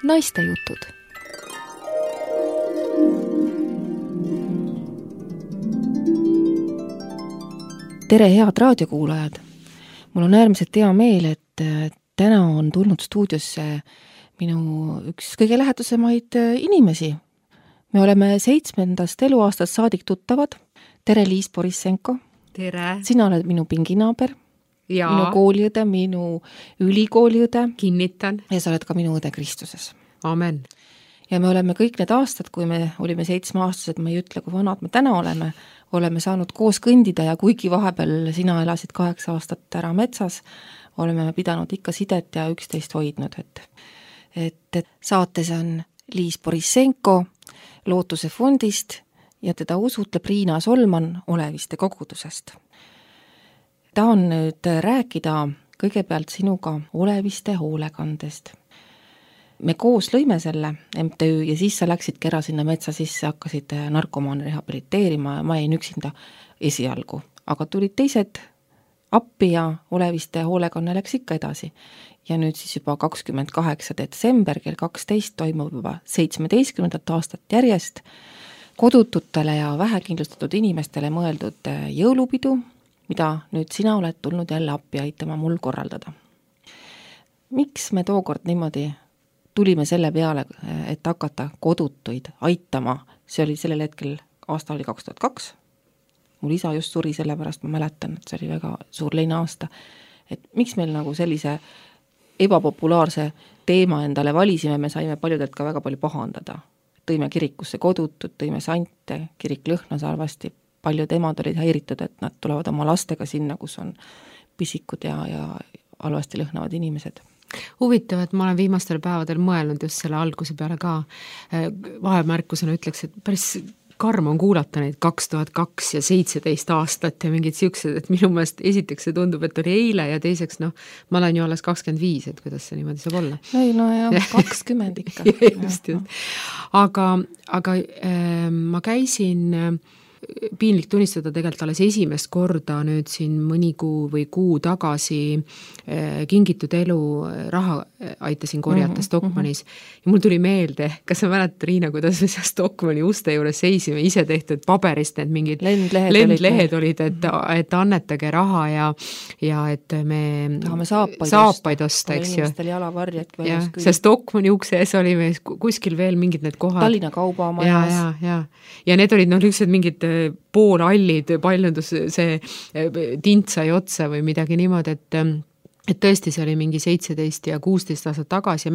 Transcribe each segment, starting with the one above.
Naistejutud. Tere, head raadiokuulajad! Mul on äärmiselt hea meel, et täna on tulnud stuudiosse minu üks kõige lähedasemaid inimesi. Me oleme 7. eluaastast saadik tuttavad. Tere, Liis Borissenko! Tere! Sina oled minu pinginaaber, ja. Minu kooliõde, minu ülikooliõde. Kinnitan. Ja sa oled ka minu õde Kristuses. Amen. Ja me oleme kõik need aastad, kui me olime 7-aastased, me ei ütle, kui vanad me täna oleme saanud koos kõndida ja kuigi vahepeal sina elasid 8 aastat ära metsas, oleme pidanud ikka sidet ja üksteist hoidnud. Et saates on Liis Borissenko Lootuse fondist ja teda usutleb Riina Solman Oleviste kogudusest. Tahan nüüd rääkida kõigepealt sinuga Oleviste hoolekandest. Me koos lõime selle MTÜ ja siis sa läksidki ära sinna metsa sisse, hakkasid narkomaane rehabiliteerima ja ma jäin üksinda esialgu. Aga tulid teised appi ja Oleviste hoolekanne läks ikka edasi. Ja nüüd siis juba 28. detsember kell 12 toimub juba 17. aastat järjest kodututele ja vähekindlustatud inimestele mõeldud jõulupidu, mida nüüd sina oled tulnud jälle appi aitama mul korraldada. Miks me tookord niimoodi tulime selle peale, et hakata kodutuid aitama? See oli sellel hetkel, aasta oli 2002. Mul isa just suri, sellepärast ma mäletan, et see oli väga suur leine aasta. Et miks meil nagu sellise ebapopulaarse teema endale valisime, me saime paljudelt ka väga palju pahandada. Tõime kirikusse kodutud, tõime sante, kirik lõhnas halvasti. Paljud emad olid häiritud, et nad tulevad oma lastega sinna, kus on pisikud ja halvasti lõhnavad inimesed. Huvitav, et ma olen viimastel päevadel mõelnud just selle alguse peale ka. Vahemärkusena ütleks, et päris karm on kuulata neid 2002 ja 17 aastat ja mingid siuksed, et minu meelest esiteks see tundub, et oli eile ja teiseks, ma olen ju alles 25, et kuidas see niimoodi saab olla. Ei, no ja 20 ikka. just. Aga ma käisin piinlik tunnistada tegelikult alles esimest korda nüüd siin mõni kuu või kuu tagasi Kingitud elu raha aitasin korjata Stockmannis. Ja mul tuli meelde, kas sa mäletad, Riina, kuidas me seal Stockmanni uste juures seisime, ise tehtud paberist, need mingid lendlehed olid, et annetage raha ja et me tahame saapaid osta, eks ju. Inimestel jalavarjad. See Stockmanni ukse ees oli meil kuskil veel mingid need kohad. Tallinna kaubamajas. Ja need olid lüksed mingid poolallid, paljundus see tint sai otsa või midagi niimoodi, et tõesti see oli mingi 17 ja 16 aastat tagasi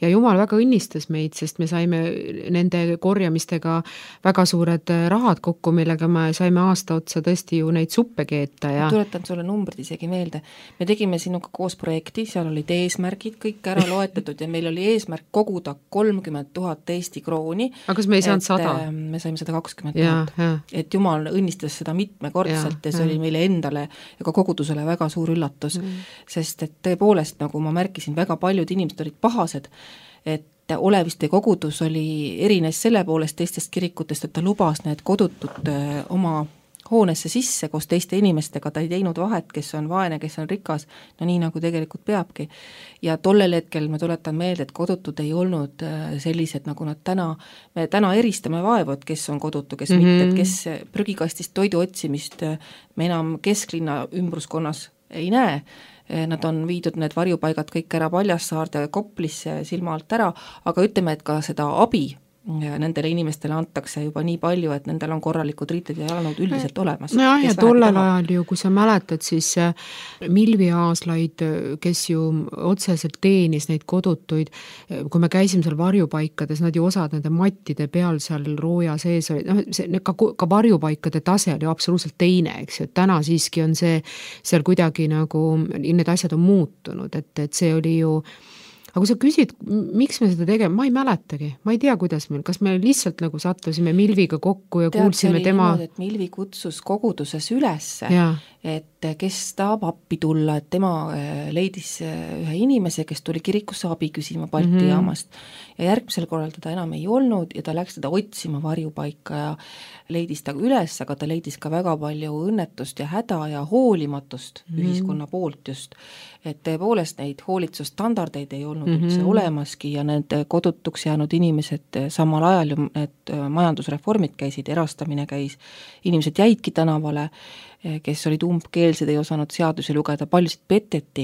ja Jumal väga õnnistas meid, sest me saime nende korjamistega väga suured rahad kokku, millega me saime aasta otsa tõesti ju neid suppe keeta. Ja tuletan sulle numbrid isegi meelde. Me tegime sinuga koos projekti, seal olid eesmärgid kõik ära loetatud ja meil oli eesmärk koguda 30 000 Eesti krooni. Aga kas me ei saanud 100? Me saime 120 000. Et Jumal õnnistas seda mitmekordselt ja see oli meile endale ja ka kogudusele väga suur üllatus. Sest et tõepoolest, nagu ma märkisin, väga paljud inimesed olid pahased, et Oleviste kogudus oli erines selle poolest teistest kirikutest, et ta lubas need kodutud oma hoonesse sisse koos teiste inimestega, ta ei teinud vahet, kes on vaene, kes on rikas, no nii nagu tegelikult peabki. Ja tollel hetkel ma tuletan meelde, et kodutud ei olnud sellised, nagu nad me täna eristame vaevu, et kes on kodutu, kes mitte, et kes prügikastist toidu otsimist me enam kesklinna ümbruskonnas ei näe. Nad on viidud need varjupaigad kõik ära Paljassaarde Koplisse silma alt ära, aga ütleme, et ka seda abi nendele inimestele antakse juba nii palju, et nendel on korralikud riited ja jalanõud üldiselt olemas. Ja tollel ajal ju, kui sa mäletad, siis Milvi Aaslaid, kes ju otseselt teenis neid kodutuid, kui me käisime seal varjupaikades, nad ju osad nende mattide peal seal rooja sees oli, ka varjupaikade tase oli absoluutselt teine, eks ju, et täna siiski on see seal kuidagi nagu, need asjad on muutunud, et see oli ju. Aga kui sa küsid, miks me seda tegeme, ma ei mäletagi, ma ei tea, kuidas meil, kas me lihtsalt nagu sattusime Milviga kokku ja kuulsime tema. Et Milvi kutsus koguduses ülesse et kes tahab appi tulla, et tema leidis ühe inimese, kes tuli kirikusse abi küsima Balti jaamast ja järgmisel korral teda enam ei olnud ja ta läks teda otsima varjupaika ja leidis ta üles, aga ta leidis ka väga palju õnnetust ja häda ja hoolimatust ühiskonna poolt just, et tõepoolest neid hoolitsusstandardeid ei olnud üldse olemaski ja need kodutuks jäänud inimesed samal ajal ju need majandusreformid käisid, erastamine käis, inimesed jäidki tänavale, kes olid umbkeelsed, ei osanud seadusi lugeda, paljusid peteti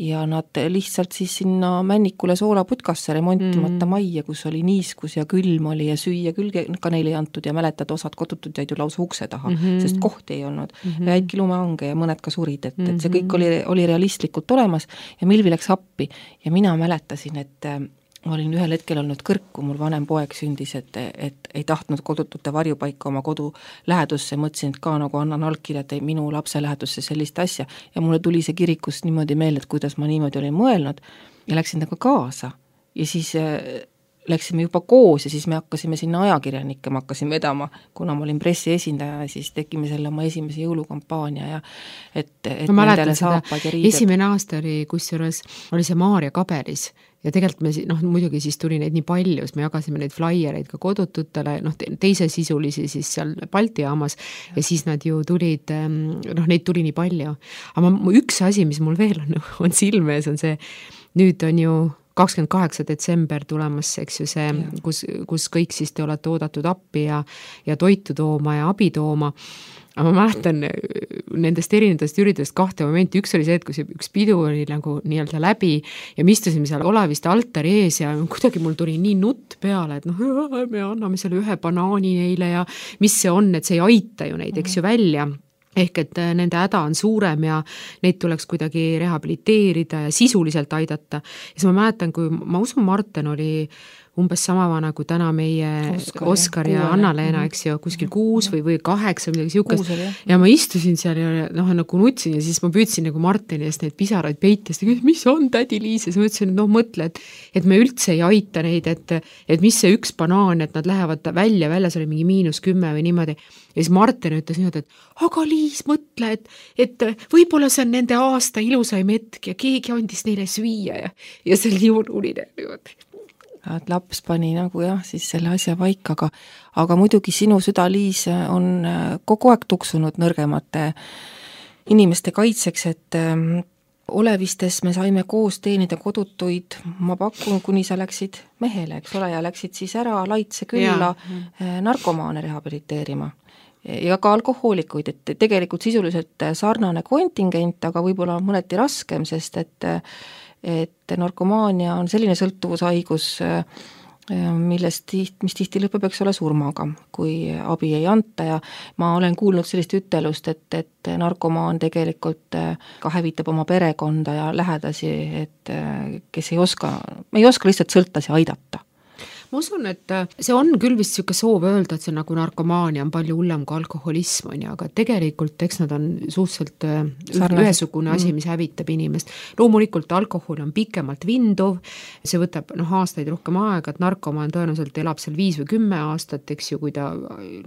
ja nad lihtsalt siis sinna Männikule soolaputkasse remontimata majja, kus oli niiskus ja külm oli ja süüa küll ka neile ei antud ja mäletad, osad kodutud jäid ju lausa ukse taha, sest kohti ei olnud. Jäidki lumehange ja mõned ka surid, et see kõik oli realistlikult olemas ja Milvi läks appi ja mina mäletasin, et ma olin ühel hetkel olnud kõrk, kui mul vanem poeg sündis, et ei tahtnud kodutute varjupaika oma kodu lähedusse, mõtlesin, et ka nagu annan allkirja, et minu lapse lähedusse sellist asja ja mulle tuli see kirikust niimoodi meelde, et kuidas ma niimoodi olin mõelnud ja läksin temaga kaasa ja siis läksime juba koos ja siis me hakkasime sinna ajakirjanikke, ma hakkasin vedama, kuna ma olin pressiesindaja ja siis tegime selle oma esimese jõulukampaania ja et ma mäletan seda, esimene aasta oli kusjuures, oli see Maarja Kaberis ja tegelikult me, muidugi siis tuli neid nii palju, me jagasime neid flaiereid ka kodututele, teise sisulisi siis seal Balti jaamas ja siis nad ju tulid, neid tuli nii palju. Aga üks asi, mis mul veel on silme ees, on see, nüüd on ju 28. detsember tulemas, eks ju see, kus kõik siis te olete oodatud appi ja toitu tooma ja abi tooma. Aga ma mäletan nendest erinevatest üritustest kahte momenti, üks oli see, et kui see üks pidu oli nagu nii-öelda läbi ja me istusime seal Olaviste altari ees ja kuidagi mul tuli nii nutt peale, et me anname selle ühe banaani neile ja mis see on, et see ei aita ju neid, eks ju välja. Ehk et nende häda on suurem ja neid tuleks kuidagi rehabiliteerida ja sisuliselt aidata. Ja siis ma mäletan, kui ma usun, Marten oli umbes sama vana kui täna meie Oskar ja Anna-Leena, eks ju, kuskil 6 või 8 midagi siukest. Ja ma istusin seal ja nagu nutsin ja siis ma püüdsin nagu Martini eest neid pisaraid peitest, mis on tädi Liis ja siis ma ütlesin, et mõtle, et me üldse ei aita neid, et mis see üks banaan, et nad lähevad väljas oli mingi -10 või niimoodi. Ja siis Martin ütles niimoodi, et aga Liis, mõtle, et võib-olla see on nende aasta ilusaim hetk ja keegi andis neile süüa ja see oli jõululine niimoodi. Et laps pani nagu siis selle asja vaika, aga muidugi sinu süda, Liis, on kogu aeg tuksunud nõrgemate inimeste kaitseks, et Olevistes me saime koos teenida kodutuid, ma pakun, kuni sa läksid mehele, eks ole, ja läksid siis ära Laitse külla narkomaane rehabiliteerima ja ka alkohoolikuid, et tegelikult sisuliselt sarnane kontingent, aga võib-olla mõneti raskem, sest et narkomaania on selline sõltuvushaigus, mis tihti lõpeb, eks ole, surmaga, kui abi ei anta ja ma olen kuulnud sellist ütelust, et narkomaan tegelikult ka hävitab oma perekonda ja lähedasi, et kes ei oska lihtsalt sõltlasi aidata. Ma usun, et see on küll vist siuke soov öelda, et see nagu narkomaania on palju hullem kui alkoholism on, aga tegelikult eks nad on suhteliselt ühesugune asi, mis hävitab inimest. Loomulikult alkohol on pikemalt vinduv, see võtab aastaid rohkem aega, et narkomaan tõenäoliselt elab seal 5 või 10 aastat, eks ju, kui ta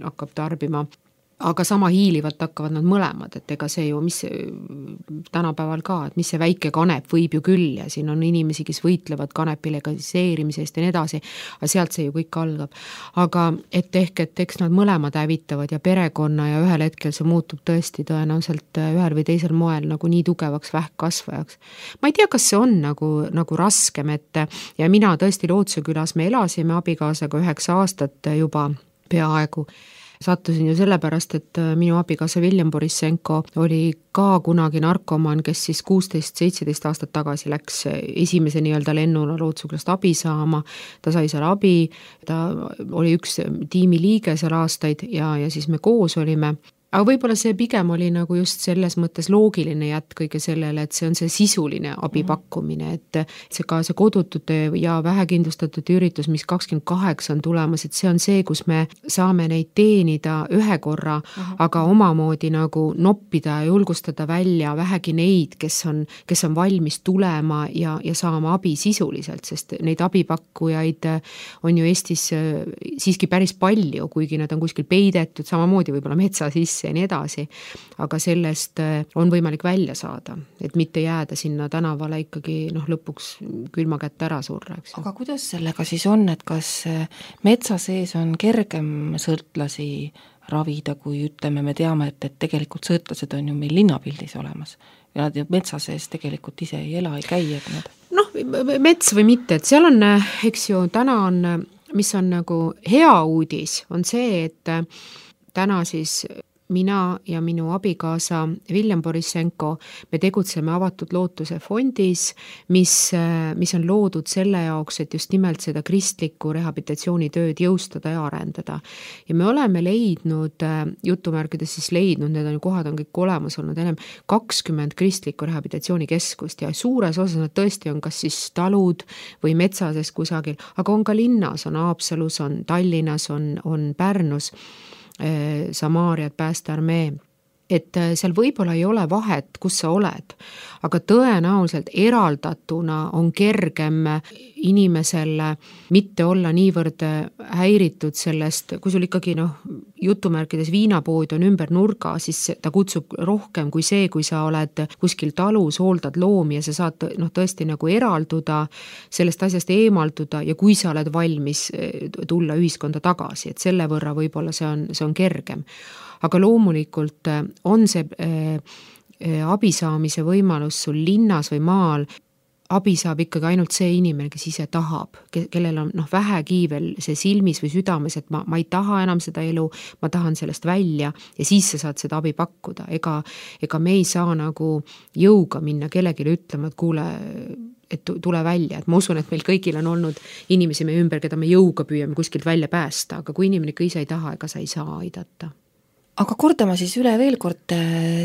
hakkab tarbima. Aga sama hiilivalt hakkavad nad mõlemad, et ega see ju, mis tänapäeval ka, et mis see väike kanep võib ju küll ja siin on inimesi, kes võitlevad kanepi legaliseerimisest ja nii edasi, aga sealt see ju kõik algab. Aga et eks nad mõlemad hävitavad ja perekonna ja ühel hetkel see muutub tõesti tõenäoliselt ühel või teisel moel nagu nii tugevaks vähkkasvajaks. Ma ei tea, kas see on nagu raskem, et ja mina tõesti Lootsuse külas me elasime abikaasaga 9 aastat juba peaaegu. Sattusin ju sellepärast, et minu abikaasa William Borissenko oli ka kunagi narkomaan, kes siis 16-17 aastat tagasi läks esimese nii-öelda lennuna Lootsuse külast abi saama, ta sai seal abi, ta oli üks tiimi liige seal aastaid ja siis me koos olime. Aga võib-olla see pigem oli nagu just selles mõttes loogiline jätk kõige sellele, et see on see sisuline abipakkumine, et see ka see kodutute ja vähekindlustatud üritus, mis 28 on tulemas, et see on see, kus me saame neid teenida ühe korra, aga omamoodi nagu noppida ja julgustada välja vähegi neid, kes on valmis tulema ja saama abi sisuliselt, sest neid abipakkujaid on ju Eestis siiski päris palju, kuigi nad on kuskil peidetud, samamoodi võib-olla metsa sisse ja nii edasi, aga sellest on võimalik välja saada, et mitte jääda sinna tänavale ikkagi lõpuks külma kätte ära surra, eks. Aga kuidas sellega siis on, et kas metsa sees on kergem sõltlasi ravida, kui ütleme, me teame, et tegelikult sõltlased on ju meil linnapildis olemas ja nad ju metsa sees tegelikult ise ei ela, ei käi, et nad... Mets või mitte, et seal on, eks ju, täna on, mis on nagu hea uudis, on see, et täna siis mina ja minu abikaasa Viljem Borissenko, me tegutseme Avatud Lootuse fondis, mis on loodud selle jaoks, et just nimelt seda kristlikku rehabilitatsioonitööd jõustada ja arendada. Ja me oleme leidnud, jutumärkides siis leidnud, need on kohad on kõik olemas olnud enam 20 kristlikku rehabilitatsioonikeskust ja suures osas nad tõesti on kas siis talud või metsases kusagil, aga on ka linnas, on Haapsalus, on Tallinnas, on Pärnus, Samaariad, Päästearmee, et seal võib-olla ei ole vahet, kus sa oled, aga tõenäoliselt eraldatuna on kergem inimesel mitte olla niivõrd häiritud sellest, kui sul ikkagi jutumärkides viinapood on ümber nurga, siis ta kutsub rohkem kui see, kui sa oled kuskil talus, hooldad loomi ja sa saad tõesti nagu eralduda, sellest asjast eemalduda ja kui sa oled valmis tulla ühiskonda tagasi, et selle võrra võib-olla see on kergem. Aga loomulikult on see abi saamise võimalus sul linnas või maal, abi saab ikkagi ainult see inimene, kes ise tahab, kellel on vähegi veel see silmis või südames, et ma ei taha enam seda elu, ma tahan sellest välja ja siis sa saad seda abi pakkuda. Ega me ei saa nagu jõuga minna kellelegi ütlema, et kuule, et tule välja, et ma usun, et meil kõigil on olnud inimesi meie ümber, keda me jõuga püüame kuskilt välja päästa, aga kui inimene ikka ise ei taha, ega sa ei saa aidata. Aga kordama siis üle veel kord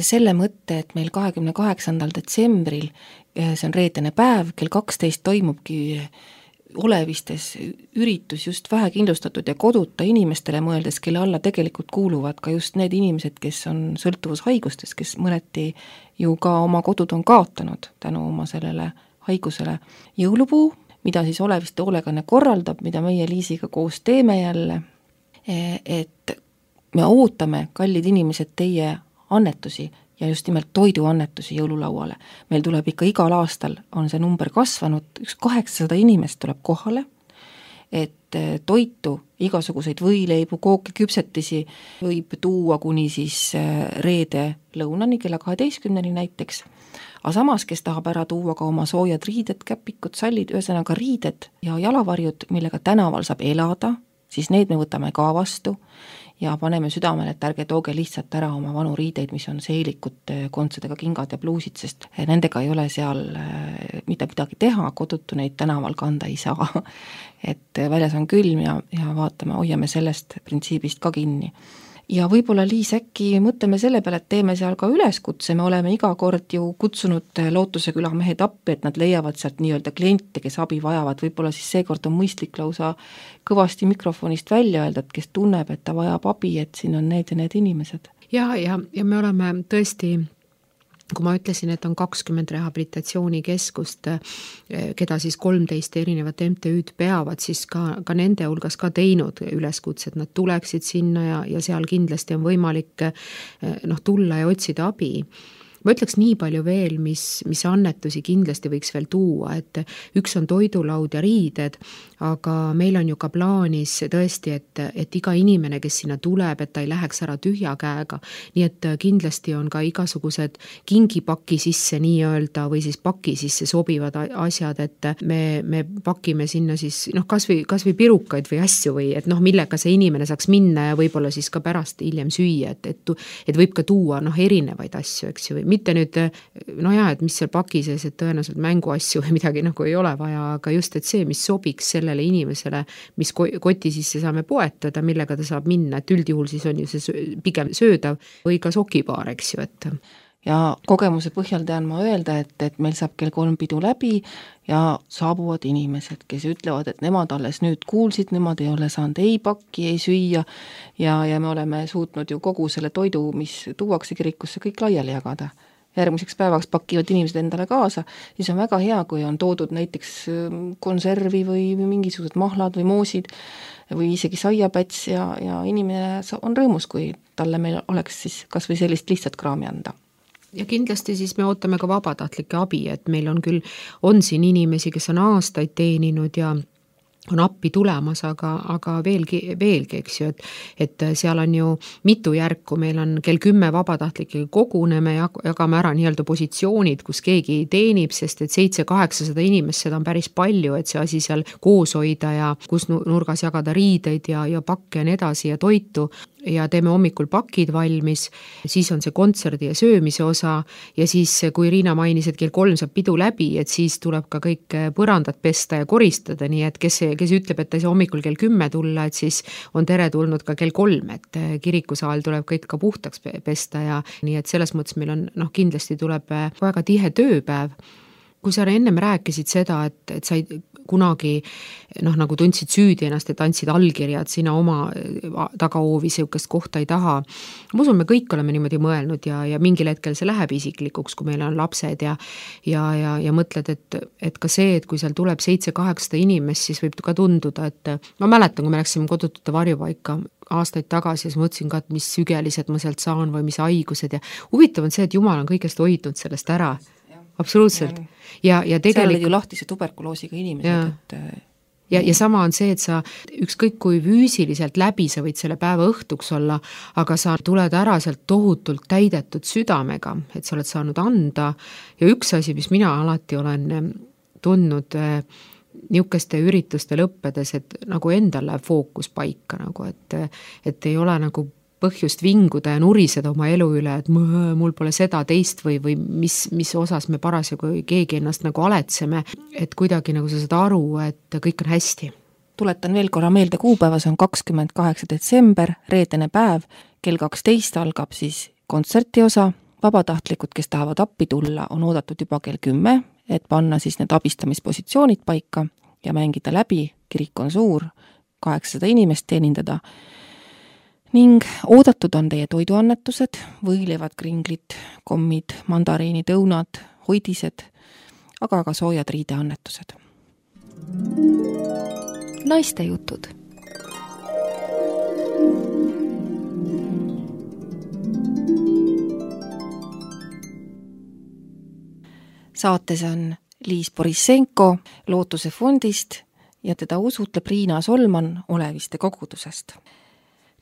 selle mõtte, et meil 28. detsembril, see on reedene päev, kell 12 toimubki Olevistes üritus just vähekindlustatud ja koduta inimestele mõeldes, kelle alla tegelikult kuuluvad ka just need inimesed, kes on sõltuvushaigustes, kes mõneti ju ka oma kodud on kaotanud tänu oma sellele haigusele. Jõulupuu, mida siis Oleviste hoolekanne korraldab, mida meie Liisiga koos teeme jälle, et me ootame, kallid inimesed, teie annetusi ja just nimelt toiduannetusi jõululauale. Meil tuleb ikka igal aastal, on see number kasvanud, 800 inimest tuleb kohale, et toitu, igasuguseid võileibu, kooki, küpsetisi võib tuua kuni siis reede lõunani, kella 12-ni näiteks. Aga samas, kes tahab ära tuua ka oma soojad riided, käpikud, sallid, ühesõnaga riided ja jalavarjud, millega tänaval saab elada, siis need me võtame ka vastu ja paneme südamele, et ärge tooge lihtsalt ära oma vanu riideid, mis on seelikud, kontsadega kingad ja pluusid, sest nendega ei ole seal mitte midagi teha, kodutu neid tänaval kanda ei saa. Et väljas on külm ja vaatame, hoiame sellest printsiibist ka kinni. Ja võib-olla Liis, äkki mõtleme selle peale, et teeme seal ka üleskutse, me oleme iga kord ju kutsunud Lootuse küla mehed appi, et nad leiavad sealt nii-öelda kliente, kes abi vajavad, võib-olla siis seekord on mõistlik lausa kõvasti mikrofonist välja öelda, et kes tunneb, et ta vajab abi, et siin on need ja need inimesed. Ja me oleme tõesti, kui ma ütlesin, et on 20 rehabilitatsioonikeskust, keda siis 13 erinevat MTÜ-d peavad, siis ka nende hulgas ka teinud üleskutse, et nad tuleksid sinna ja seal kindlasti on võimalik tulla ja otsida abi. Ma ütleks nii palju veel, mis annetusi kindlasti võiks veel tuua, et üks on toidulaud ja riided, aga meil on ju ka plaanis tõesti, et iga inimene, kes sinna tuleb, et ta ei läheks ära tühja käega, nii et kindlasti on ka igasugused kingipaki sisse nii-öelda või siis paki sisse sobivad asjad, et me pakime sinna siis kas või pirukaid või asju või et millega see inimene saaks minna ja võib-olla siis ka pärast hiljem süüa, et võib ka tuua erinevaid asju, eks ju, mitte nüüd, et mis seal paki sees, et tõenäoliselt mänguasju või midagi ei ole vaja, aga just, et see, mis sobiks sellele inimesele, mis koti sisse saame poetada, millega ta saab minna, et üldjuhul siis on ju see pigem söödav või ka sokipaar, eks ju, et ja kogemuse põhjal tean ma öelda, et meil saab kell 3 pidu läbi ja saabuvad inimesed, kes ütlevad, et nemad alles nüüd kuulsid, nemad ei ole saanud ei pakki, ei süüa ja me oleme suutnud ju kogu selle toidu, mis tuuakse kirikusse, kõik laiali jagada. Järgmiseks päevaks pakivad inimesed endale kaasa, siis on väga hea, kui on toodud näiteks konservi või mingisugused mahlad või moosid või isegi saiapäts ja inimene on rõõmus, kui talle meil oleks siis kas või sellist lihtsat kraami anda. Ja kindlasti siis me ootame ka vabatahtlike abi, et meil on siin inimesi, kes on aastaid teeninud ja on appi tulemas, aga veelgi, eks ju, et seal on ju mitu järku, meil on kell 10 vabatahtlikega koguneme ja jagame ära nii-öelda positsioonid, kus keegi teenib, sest et 700-800 inimest, seda on päris palju, et see asi seal koos hoida ja kus nurgas jagada riideid ja pakke ja nii edasi ja toitu ja teeme hommikul pakid valmis, siis on see kontserdi ja söömise osa ja siis, kui Riina mainis, et kell 3 saab pidu läbi, et siis tuleb ka kõik põrandat pesta ja koristada, nii et kes ütleb, et ta ei saa hommikul kell 10 tulla, et siis on tere tulnud ka kell 3, et kirikusaal tuleb kõik ka puhtaks pesta ja nii et selles mõttes meil on, kindlasti tuleb väga tihe tööpäev. Kui sa ennem rääkisid seda, et sa ei kunagi nagu tundsid süüdi ennast, et andsid allkirjad, sina oma tagahoovi siukest kohta ei taha. Ma usun, me kõik oleme niimoodi mõelnud ja mingil hetkel see läheb isiklikuks, kui meil on lapsed ja mõtled, et ka see, et kui seal tuleb 700-800 inimest, siis võib ka tunduda, et ma mäletan, kui me läksime kodutute varjupaika aastaid tagasi, siis mõtlesin ka, et mis sügelised ma sealt saan või mis haigused ja huvitav on see, et Jumal on kõigest hoidnud sellest ära. Absoluutselt. Ja tegelikult seal olid ju lahtise tuberkuloosiga inimesed. Ja sama on see, et sa ükskõik kui füüsiliselt läbi sa võid selle päeva õhtuks olla, aga sa tuled ära sealt tohutult täidetud südamega, et sa oled saanud anda ja üks asi, mis mina alati olen tundnud niisuguste ürituste lõppedes, et nagu endal läheb fookus paika, nagu, et ei ole nagu põhjust vinguda ja nuriseda oma elu üle, et mul pole seda teist või mis osas me parasjagu keegi ennast nagu aletseme, et kuidagi nagu sa saad aru, et kõik on hästi. Tuletan veel korra meelde, kuupäevas on 28. detsember, reedene päev, kell 12 algab siis kontserti osa, vabatahtlikud, kes tahavad appi tulla, on oodatud juba kell 10, et panna siis need abistamispositsioonid paika ja mängida läbi, kirik on suur, 800 inimest teenindada, ning oodatud on teie toiduannetused, võileivad, kringlid, kommid, mandariinid, õunad, hoidised, aga ka soojad riideannetused. Naiste jutud. Saates on Liis Borissenko Lootuse fondist ja teda usutleb Riina Solman Oleviste kogudusest.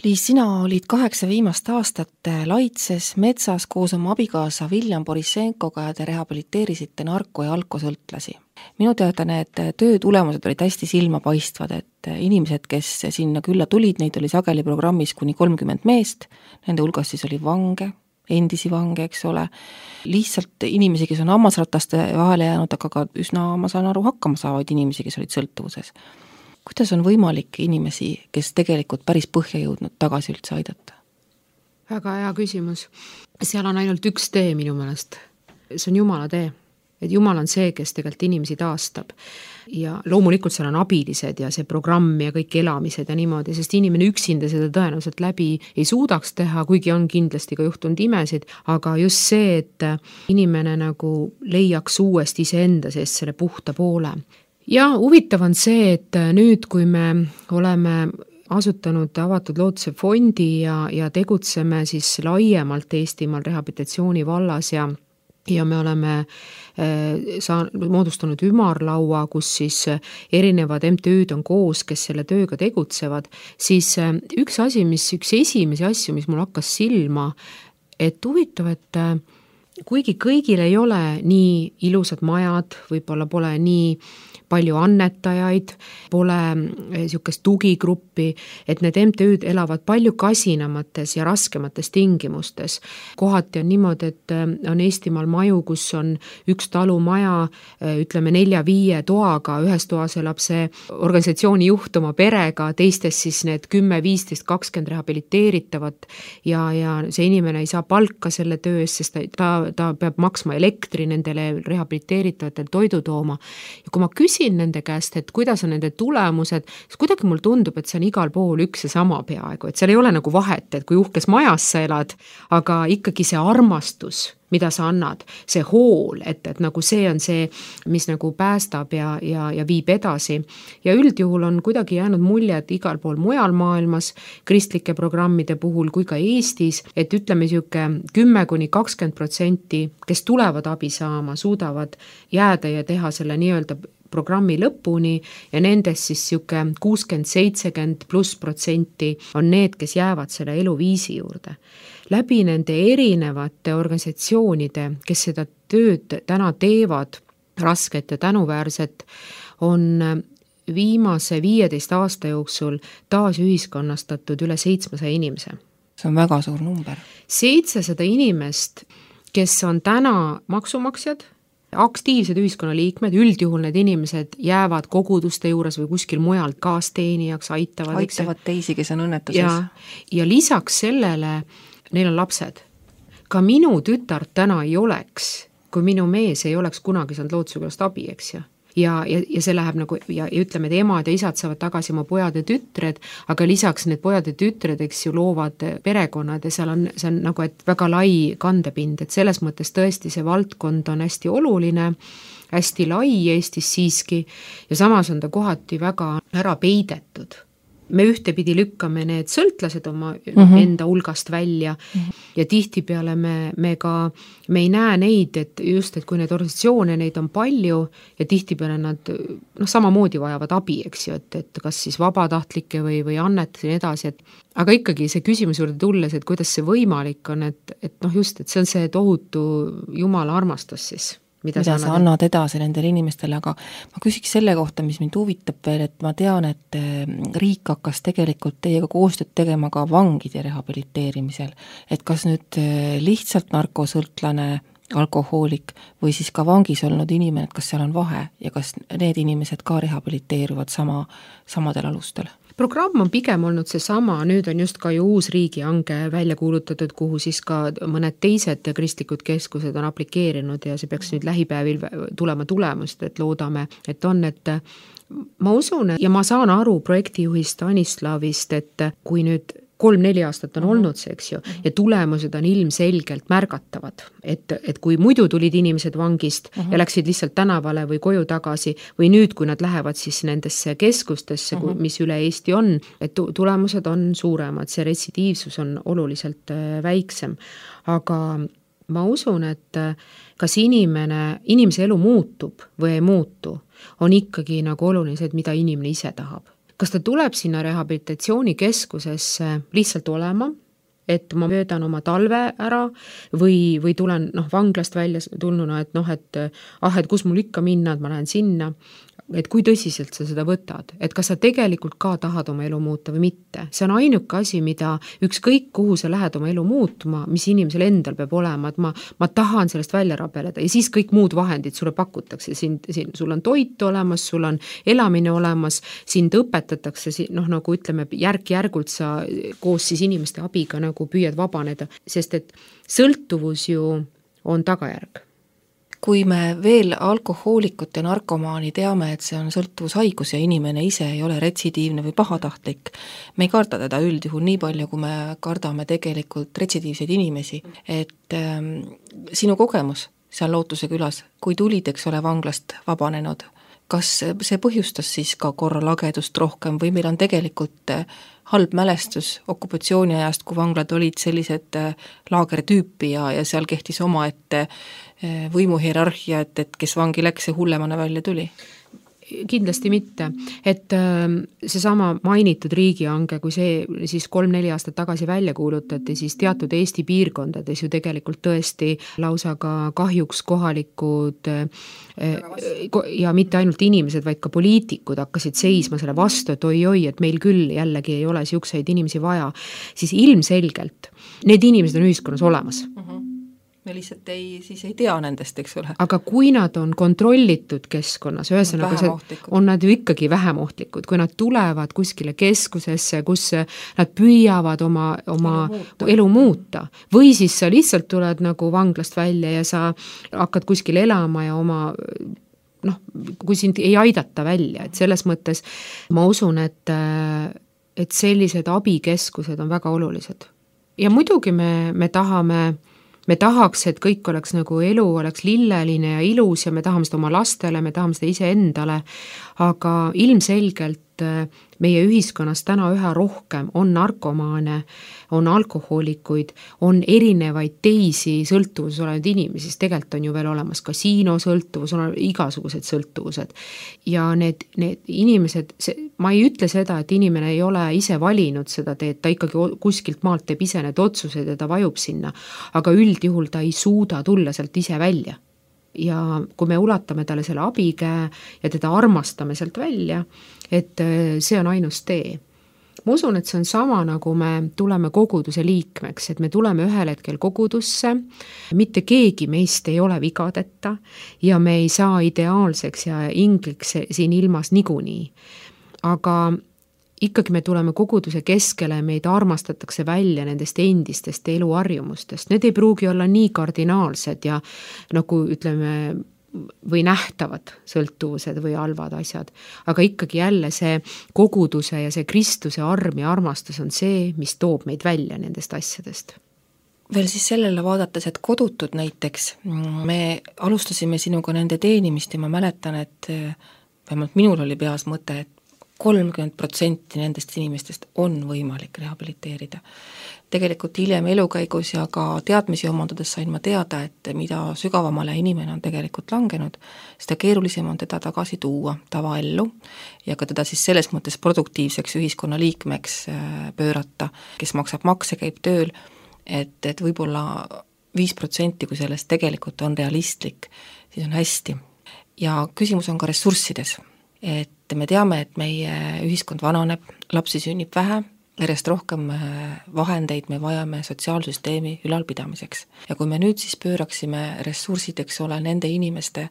Liis, sina olid 8 viimast aastat Laitses metsas koos oma abikaasa William Borissenkoga ja te rehabiliteerisite narko- ja alkosõltlasi. Minu teada need töö tulemused olid hästi silmapaistvad, et inimesed, kes sinna külla tulid, neid oli sageli programmis kuni 30 meest, nende hulgas siis oli vange, endisi vange, eks ole, lihtsalt inimesi, kes on hammasrataste vahele jäänud, aga ka üsna, ma saan aru, hakkama saavad inimesi, kes olid sõltuvuses. Kuidas on võimalik inimesi, kes tegelikult päris põhja jõudnud tagasi üldse aidata? Väga hea küsimus. Seal on ainult üks tee minu meelest. See on Jumala tee. Et Jumal on see, kes tegelikult inimesi taastab. Ja loomulikult seal on abilised ja see programm ja kõik elamised ja niimoodi, sest inimene üksinda seda tõenäoliselt läbi ei suudaks teha, kuigi on kindlasti ka juhtunud imesid, aga just see, et inimene nagu leiaks uuesti iseenda seest selle puhta poole. Ja huvitav on see, et nüüd, kui me oleme asutanud Avatud Lootuse fondi ja tegutseme siis laiemalt Eestimaal rehabilitatsiooni vallas ja me oleme moodustanud ümarlaua, kus siis erinevad MTÜ-d on koos, kes selle tööga tegutsevad, siis üks esimesi asju, mis mul hakkas silma, et huvitav, et kuigi kõigil ei ole nii ilusad majad, võib-olla pole nii palju annetajaid, pole niisugust tugigruppi, et need MTÜ-d elavad palju kasinamates ja raskemates tingimustes. Kohati on niimoodi, et on Eestimaal maju, kus on üks talumaja, ütleme 4-5 toaga, ühes toas elab see organisatsiooni juht oma perega, teistes siis need 10, 15, 20 rehabiliteeritavat ja see inimene ei saa palka selle töö eest, sest ta peab maksma elektri nendele rehabiliteeritavatele toidu tooma. Ja kui ma küsin nende käest, et kuidas on nende tulemused, siis kuidagi mul tundub, et see on igal pool üks ja sama peaaegu, et seal ei ole nagu vahet, et kui uhkes majas sa elad, aga ikkagi see armastus mida sa annad, see hool, et nagu see on see, mis nagu päästab ja viib edasi. Ja üldjuhul on kuidagi jäänud mulje, et igal pool mujal maailmas kristlike programmide puhul kui ka Eestis, et ütleme siuke 10–20%, kes tulevad abi saama, suudavad jääda ja teha selle nii-öelda programmi lõpuni ja nendest siis siuke 60–70+% on need, kes jäävad selle eluviisi juurde. Läbi nende erinevate organisatsioonide, kes seda tööd täna teevad, rasket ja tänuväärset, on viimase 15 aasta jooksul taas ühiskonnastatud üle 700 inimese. See on väga suur number. 700 inimest, kes on täna maksumaksjad, aktiivsed ühiskonnaliikmed, üldjuhul need inimesed jäävad koguduste juures või kuskil mujalt kaasteenijaks, aitavad teisi, kes on õnnetuses. Ja lisaks sellele neil on lapsed. Ka minu tütart täna ei oleks, kui minu mees ei oleks kunagi saanud loodusükülast abi, eks ju. Ja see läheb nagu, ja ütleme, et emad ja isad saavad tagasi oma pojad ja tütred, aga lisaks need pojad ja tütred, eks ju, loovad perekonnad ja see on nagu, et väga lai kandepind, et selles mõttes tõesti see valdkond on hästi oluline, hästi lai Eestis siiski ja samas on ta kohati väga ära peidetud. Me ühtepidi lükkame need sõltlased oma enda hulgast välja ja tihtipeale me ei näe neid, et just, et kui need organisatsioone, neid on palju ja tihtipeale nad samamoodi vajavad abi, eks ju, et kas siis vabatahtlike või annetas ja nii edasi, aga ikkagi see küsimus juurde tulles, et kuidas see võimalik on, et just, et see on see tohutu Jumala armastus siis. Mida sa annad edasi nendele inimestele, aga ma küsiks selle kohta, mis mind huvitab veel, et ma tean, et riik hakkas tegelikult teiega koostööd tegema ka vangide rehabiliteerimisel, et kas nüüd lihtsalt narkosõltlane, alkohoolik või siis ka vangis olnud inimene, et kas seal on vahe ja kas need inimesed ka rehabiliteeruvad samadel alustel? Programm on pigem olnud see sama, nüüd on just ka ju uus riigihange välja kuulutatud, kuhu siis ka mõned teised kristlikud keskused on aplikeerinud ja see peaks nüüd lähipäevil tulema tulemust, et loodame, et ma usun ja ma saan aru projektijuhist Anislavist, et kui nüüd 3-4 aastat on olnud see, eks ju, ja tulemused on ilmselgelt märgatavad, et kui muidu tulid inimesed vangist ja läksid lihtsalt tänavale või koju tagasi või nüüd, kui nad lähevad siis nendesse keskustesse, mis üle Eesti on, et tulemused on suuremad, see retsidiivsus on oluliselt väiksem, aga ma usun, et kas inimese elu muutub või ei muutu, on ikkagi nagu oluline, mida inimene ise tahab. Kas ta tuleb sinna rehabilitatsioonikeskusesse lihtsalt olema, et ma möödan oma talve ära või tulen vanglast välja tulnuna, et kus mul ikka minna, et ma lähen sinna, et kui tõsiselt sa seda võtad, et kas sa tegelikult ka tahad oma elu muuta või mitte. See on ainuke asi, mida ükskõik kuhu sa lähed oma elu muutuma, mis inimesel endal peab olema, et ma tahan sellest välja rabeleda ja siis kõik muud vahendid sulle pakutakse. Sul on toit olemas, sul on elamine olemas, sind õpetatakse, nagu ütleme, järk-järgult sa koos siis inimeste abiga nagu püüad vabaneda, sest et sõltuvus ju on tagajärg. Kui me veel alkohoolikut ja narkomaani teame, et see on sõltuvushaigus ja inimene ise ei ole retsidiivne või pahatahtlik, me ei karda teda üldjuhul nii palju, kui me kardame tegelikult retsidiivseid inimesi. Et sinu kogemus seal Lootuse külas, kui tulid, eks ole, vanglast vabanenud, kas see põhjustas siis ka korralagedust rohkem või meil on tegelikult halb mälestus okupatsiooniajast, kui vanglad olid sellised laagertüüpi ja seal kehtis omaette võimuhierarhia, et kes vangi läks, see hullemana välja tuli? Kindlasti mitte, et seesama mainitud riigihange, kui see siis 3-4 aastat tagasi välja kuulutati, siis teatud Eesti piirkondades ju tegelikult tõesti lausa ka kahjuks kohalikud ja mitte ainult inimesed, vaid ka poliitikud hakkasid seisma selle vastu, et oi, et meil küll jällegi ei ole siukseid inimesi vaja, siis ilmselgelt need inimesed on ühiskonnas olemas. Me lihtsalt ei tea nendest, eks ole. Aga kui nad on kontrollitud keskkonnas, ühesõnaga on nad ju ikkagi vähem ohtlikud, kui nad tulevad kuskile keskusesse, kus nad püüavad oma elu muuta. Või siis sa lihtsalt tuled nagu vanglast välja ja sa hakkad kuskil elama ja kui sind ei aidata välja, et selles mõttes ma usun, et sellised abikeskused on väga olulised. Ja muidugi me tahame me tahaks, et kõik oleks nagu elu oleks lilleline ja ilus ja me tahame seda oma lastele, me tahame seda iseendale, aga ilmselgelt meie ühiskonnas täna üha rohkem on narkomaane, on alkohoolikuid, on erinevaid teisi sõltuvuses olevaid inimesi, sest tegelikult on ju veel olemas kasiinosõltuvus, on igasugused sõltuvused. Ja need inimesed, ma ei ütle seda, et inimene ei ole ise valinud seda teed, ta ikkagi kuskilt maalt teeb ise need otsused ja ta vajub sinna, aga üldjuhul ta ei suuda tulla sealt ise välja. Ja kui me ulatame talle selle abikäe ja teda armastame sealt välja, et see on ainus tee. Ma usun, et see on sama, nagu me tuleme koguduse liikmeks, et me tuleme ühel hetkel kogudusse, mitte keegi meist ei ole vigadeta ja me ei saa ideaalseks ja ingliks siin ilmas niikuinii. Aga ikkagi me tuleme koguduse keskele, meid armastatakse välja nendest endistest eluharjumustest. Need ei pruugi olla nii kardinaalsed ja nagu ütleme, või nähtavad sõltuvused või halvad asjad. Aga ikkagi jälle see koguduse ja see Kristuse arm ja armastus on see, mis toob meid välja nendest asjadest. Veel siis sellele vaadates, et kodutud näiteks, me alustasime sinuga nende teenimist ja ma mäletan, et vähemalt minul oli peas mõte, et 30% nendest inimestest on võimalik rehabiliteerida. Tegelikult hiljem elukäigus ja ka teadmisi omandades sain ma teada, et mida sügavamale inimene on tegelikult langenud, seda keerulisem on teda tagasi tuua tavaellu ja ka teda siis selles mõttes produktiivseks ühiskonnaliikmeks pöörata, kes maksab makse, käib tööl, et võib-olla 5%, kui sellest tegelikult on realistlik, siis on hästi. Ja küsimus on ka ressurssides, et me teame, et meie ühiskond vananeb, lapsi sünnib vähe, järjest rohkem vahendeid me vajame sotsiaalsüsteemi ülalpidamiseks. Ja kui me nüüd siis pööraksime ressursid, eks ole, nende inimeste,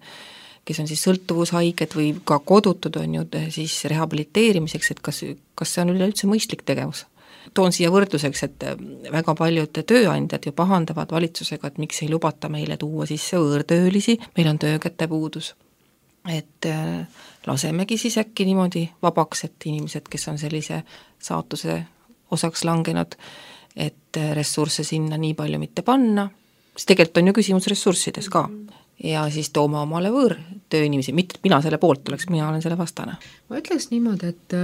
kes on siis sõltuvushaiged või ka kodutud on ju siis rehabiliteerimiseks, et kas see on üleüldse mõistlik tegevus. Toon siia võrdluseks, et väga paljud tööandjad ju pahandavad valitsusega, et miks ei lubata meile tuua sisse võõrtöölisi, meil on töökäte puudus. Et lasemegi siis äkki niimoodi vabaks, et inimesed, kes on sellise saatuse osaks langenud, et ressursse sinna nii palju mitte panna, siis tegelikult on ju küsimus ressurssides ka. Ja siis tooma omale võõrtööinimesi, mitte mina selle poolt oleks, mina olen selle vastane. Ma ütleks niimoodi, et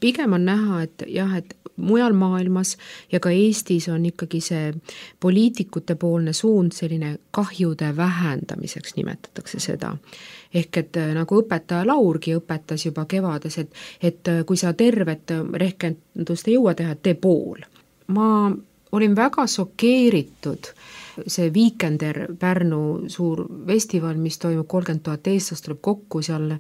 pigem on näha, et jah, et mujal maailmas ja ka Eestis on ikkagi see poliitikute poolne suund selline kahjude vähendamiseks nimetatakse seda. Ehk et nagu õpetaja Laurgi õpetas juba kevades, et kui sa tervet rehkendust ei jõua teha, tee pool. Ma olin väga šokeeritud see Weekender Pärnu suur festival, mis toimub 30 000 eestlast tuleb kokku seal.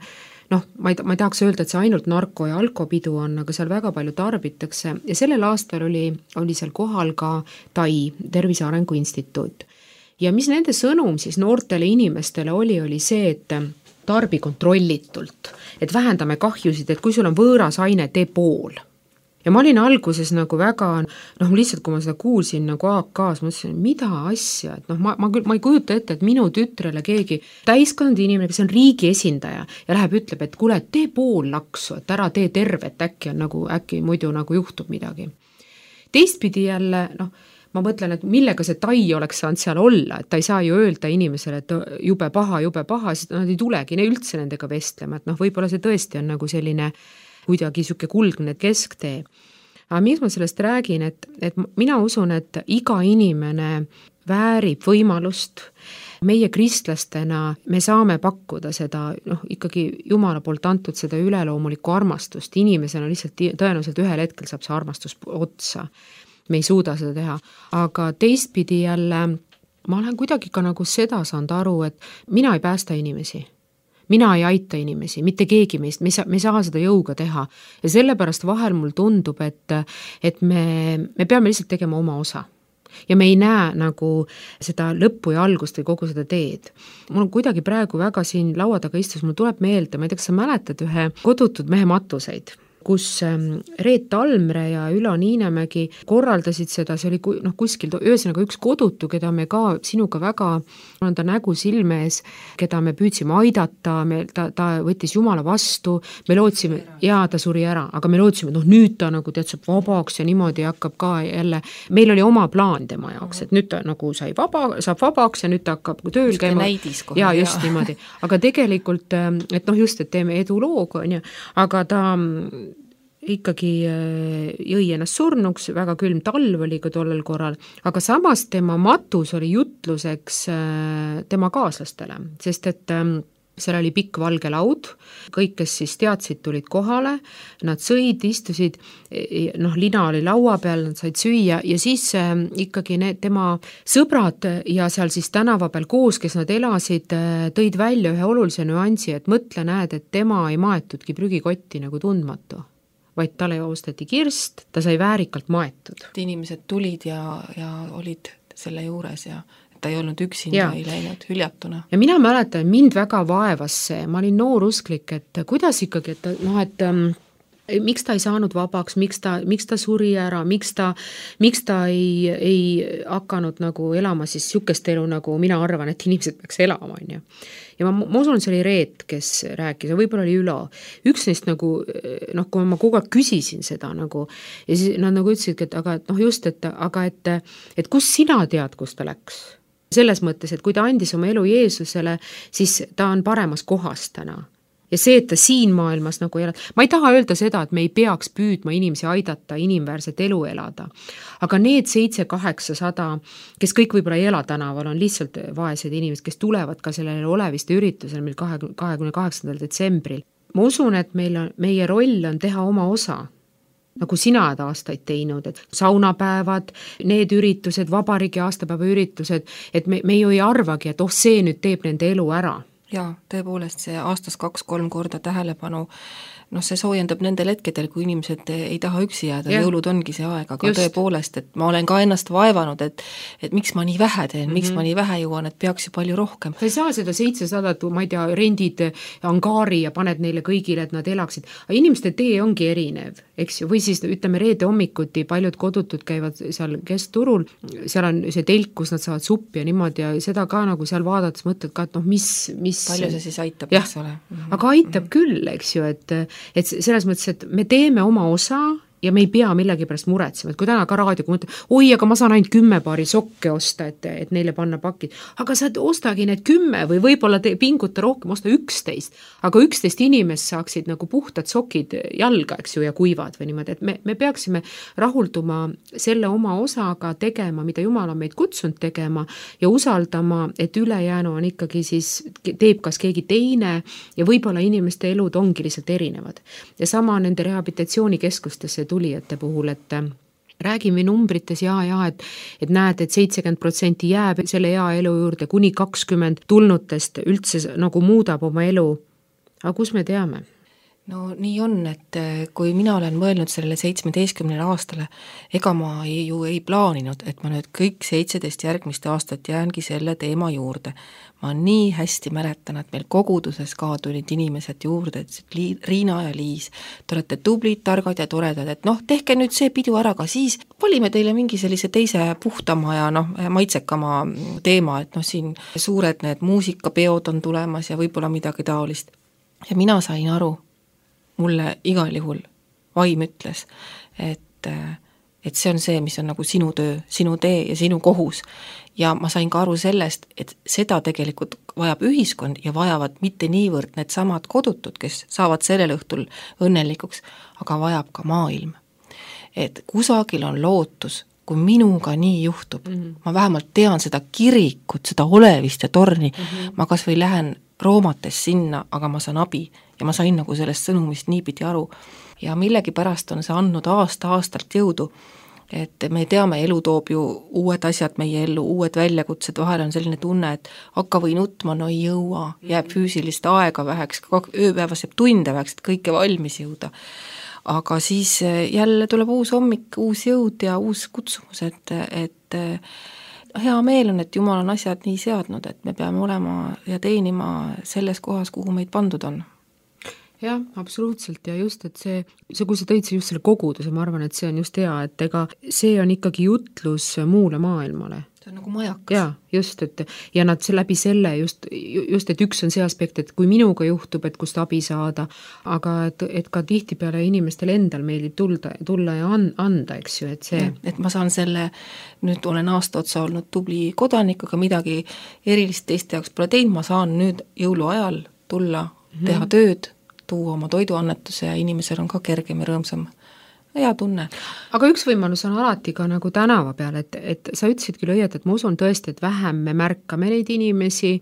Ma ei tahaks öelda, et see ainult narko- ja alkopidu on, aga seal väga palju tarbitakse ja sellel aastal oli seal kohal ka TAI, Tervise Arengu Instituut. Ja mis nende sõnum siis noortele inimestele oli see, et tarbi kontrollitult, et vähendame kahjusid, et kui sul on võõras aine, tee pool. Ja ma olin alguses nagu väga, lihtsalt kui ma seda kuulsin nagu AK-s, ma ütlesin, mida asja, et ma ei kujuta ette, et minu tütrele keegi täiskond inimene, kes on riigi esindaja ja läheb, ütleb, et kuule, tee pool laksu, et ära tee tervet, äkki muidu nagu juhtub midagi. Teistpidi jälle, ma mõtlen, et millega see TAI oleks saanud seal olla, et ta ei saa ju öelda inimesele, et jube paha, siis nad ei tulegi üldse nendega vestlema, et võib-olla see tõesti on nagu selline kuidagi siuke kuldne kesktee. Aga miks ma sellest räägin, et mina usun, et iga inimene väärib võimalust. Meie kristlastena me saame pakkuda seda, ikkagi Jumala poolt antud seda üleloomulikku armastust. Inimesena lihtsalt tõenäoliselt ühel hetkel saab see armastus otsa. Me ei suuda seda teha. Aga teistpidi jälle, ma olen kuidagi ka nagu seda saanud aru, et mina ei päästa inimesi. Mina ei aita inimesi, mitte keegi meist, me ei saa seda jõuga teha. Ja sellepärast vahel mul tundub, et me peame lihtsalt tegema oma osa. Ja me ei näe nagu seda lõppu ja algust või kogu seda teed. Mul on kuidagi praegu väga siin laua taga istus, mul tuleb meelde, ma ei tea, kas sa mäletad ühe kodutud mehe matuseid, kus Reet Almre ja Ülo Niinemägi korraldasid seda, see oli kuskil, ühesõnaga üks kodutu, keda me ka sinuga väga, on ta nägu silme ees, keda me püüdsime aidata, ta võttis Jumala vastu, me lootsime, jaa, ta suri ära, aga me lootsime, nüüd ta nagu saab vabaks ja niimoodi hakkab ka jälle, meil oli oma plaan tema jaoks, et nüüd ta nagu saab vabaks ja nüüd ta hakkab tööl käima. Jaa, just niimoodi. Aga tegelikult, et just, et teeme edulooga, aga ta ikkagi jõi ennast surnuks, väga külm talv oli ka tollel korral, aga samas tema matus oli jutluseks tema kaaslastele, sest et seal oli pikk valge laud, kõik, kes siis teadsid, tulid kohale, nad sõid, istusid, lina oli laua peal, nad said süüa ja siis ikkagi need tema sõbrad ja seal siis tänava peal koos, kes nad elasid, tõid välja ühe olulise nüansi, et mõtle, näed, et tema ei maetudki prügikotti nagu tundmatu, vaid talle osteti kirst, ta sai väärikalt maetud. Inimesed tulid ja olid selle juures ja ta ei olnud üksinda, ei läinud hüljatuna. Ja mina mäletan, mind väga vaevas see, ma olin noor usklik, et kuidas ikkagi, et miks ta ei saanud vabaks, miks ta suri ära, miks ta ei hakanud nagu elama siis sükest elu, nagu mina arvan, et inimesed peaks elama, on ju. Ja ma usun, see oli Reet, kes rääkis, ja võib-olla oli Ülo. Üks neist nagu, kui ma kogu aeg küsisin seda nagu, ja siis nad nagu ütlesidki, et kus sina tead, kus ta läks? Selles mõttes, et kui ta andis oma elu Jeesusele, siis ta on paremas kohas täna. Ja see, et ta siin maailmas nagu elad, ma ei taha öelda seda, et me ei peaks püüdma inimesi aidata, inimväärset elu elada. Aga need 700-800, kes kõik võib-olla ei ela tänaval, on lihtsalt vaesed inimesed, kes tulevad ka sellele oleviste üritusel meil 28. detsembril. Ma usun, et meie roll on teha oma osa, nagu sina oled aastaid teinud, et saunapäevad, need üritused, vabariigi aastapäeva üritused, et me ju ei arvagi, et see nüüd teeb nende elu ära. Jaa, tõepoolest see aastas 2-3 korda tähelepanu, see soojendab nendel hetkedel, kui inimesed ei taha üksi jääda, jõulud ongi see aeg, aga tõepoolest, et ma olen ka ennast vaevanud, et miks ma nii vähe teen, miks ma nii vähe jõuan, et peaks ju palju rohkem. Sa ei saa seda 700, ma ei tea, rendid angaari ja paned neile kõigile, et nad elaksid, aga inimeste tee ongi erinev, eks ju, või siis ütleme reede hommikuti, paljud kodutud käivad seal keskturul, seal on see telk, kus nad saavad suppi ja niimoodi ja seda ka nagu seal vaadates mõtled ka, et mis palju see siis aitab, eks ole. Aga aitab küll, eks ju, et selles mõttes, et me teeme oma osa ja me ei pea millegi pärast muretsema, et kui täna ka raadioga mõtled, aga ma saan ainult 10 paari sokke osta, et neile panna pakid, aga sa ostagi need 10 või võib-olla pinguta rohkem, osta 11, aga 11 inimest saaksid nagu puhtad sokid jalga, eks ju, ja kuivad või niimoodi, et me peaksime rahulduma selle oma osaga tegema, mida Jumal on meid kutsunud tegema ja usaldama, et ülejäänu on ikkagi siis, teeb kas keegi teine ja võib-olla inimeste elud ongi lihtsalt erinevad. Ja sama nende rehabilitatsioonikeskustesse tulijate puhul, et räägime numbrites et näed, et 70% jääb selle hea elu juurde, kuni 20 tulnutest üldse nagu muudab oma elu. Aga kus me teame? No nii on, et kui mina olen mõelnud sellele 17 aastale, ega ma ju ei plaaninud, et ma nüüd kõik 17 järgmist aastat jäängi selle teema juurde. Ma nii hästi mäletan, et meil koguduses ka tulid inimesed juurde, et Riina ja Liis, te olete tublid, targad ja toredad, et tehke nüüd see pidu ära, ka siis valime teile mingi sellise teise puhtama ja maitsekama teema, et siin suured need muusikapeod on tulemas ja võib-olla midagi taolist. Ja mina sain aru, mulle igal juhul vaim ütles, et see on see, mis on nagu sinu töö, sinu tee ja sinu kohus. Ja ma sain ka aru sellest, et seda tegelikult vajab ühiskond ja vajavad mitte niivõrd need samad kodutud, kes saavad sellel õhtul õnnelikuks, aga vajab ka maailm. Et kusagil on lootus, kui minuga nii juhtub, ma vähemalt tean seda kirikut, seda olevist ja torni, ma kas või lähen roomates sinna, aga ma saan abi ja ma sain nagu sellest sõnumist niipidi aru. Ja millegi pärast on see andnud aasta-aastalt jõudu, et me teame, elu toob ju uued asjad meie ellu, uued väljakutsed, vahel on selline tunne, et hakka või nutma, no ei jõua, jääb füüsilist aega väheks, ööpäevas jääb tunde väheks, et kõike valmis jõuda. Aga siis jälle tuleb uus hommik, uus jõud ja uus kutsumus, et hea meel on, et Jumal on asjad nii seadnud, et me peame olema ja teenima selles kohas, kuhu meid pandud on. jah, absoluutselt ja just, et see, kui sa tõid just selle koguduse, ma arvan, et see on just hea, et ega see on ikkagi jutlus muule maailmale. See on nagu majakas. Jaa, just, et ja nad läbi selle just, et üks on see aspekt, et kui minuga juhtub, et kust abi saada, aga et ka tihtipeale inimestel endal meeldib tulla ja anda, eks ju, et see. Et ma saan selle, nüüd olen aasta otsa olnud tubli kodanik, aga midagi erilist teiste jaoks pole teinud, ma saan nüüd jõuluajal tulla, teha tööd, tuua oma toiduannetuse ja inimesel on ka kergem ja rõõmsam. Hea tunne. Aga üks võimalus on alati ka nagu tänava peal, et sa ütlesid küll õieti, et ma usun tõesti, et vähem me märkame neid inimesi,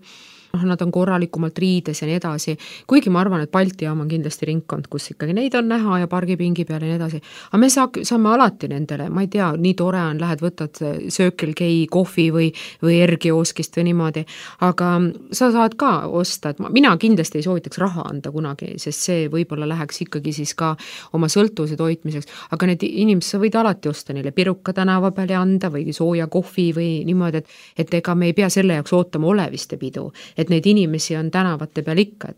nad on korralikumalt riides ja nii edasi, kuigi ma arvan, et Balti jaam on kindlasti ringkond, kus ikkagi neid on näha ja pargipingi peal ja nii edasi, aga me saame alati nendele, ma ei tea, nii tore on, lähed võtad Circle K kohvi või R-kioskist või niimoodi, aga sa saad ka osta, et mina kindlasti ei soovitaks raha anda kunagi, sest see võib-olla läheks ikkagi siis ka oma sõltuvuse toitmiseks, aga need inimesed, sa võid alati osta neile piruka tänava peale anda või sooja kohvi või niimoodi, et ega me ei pea selle jaoks ootama oleviste pidu, et neid inimesi on tänavate peal ikka,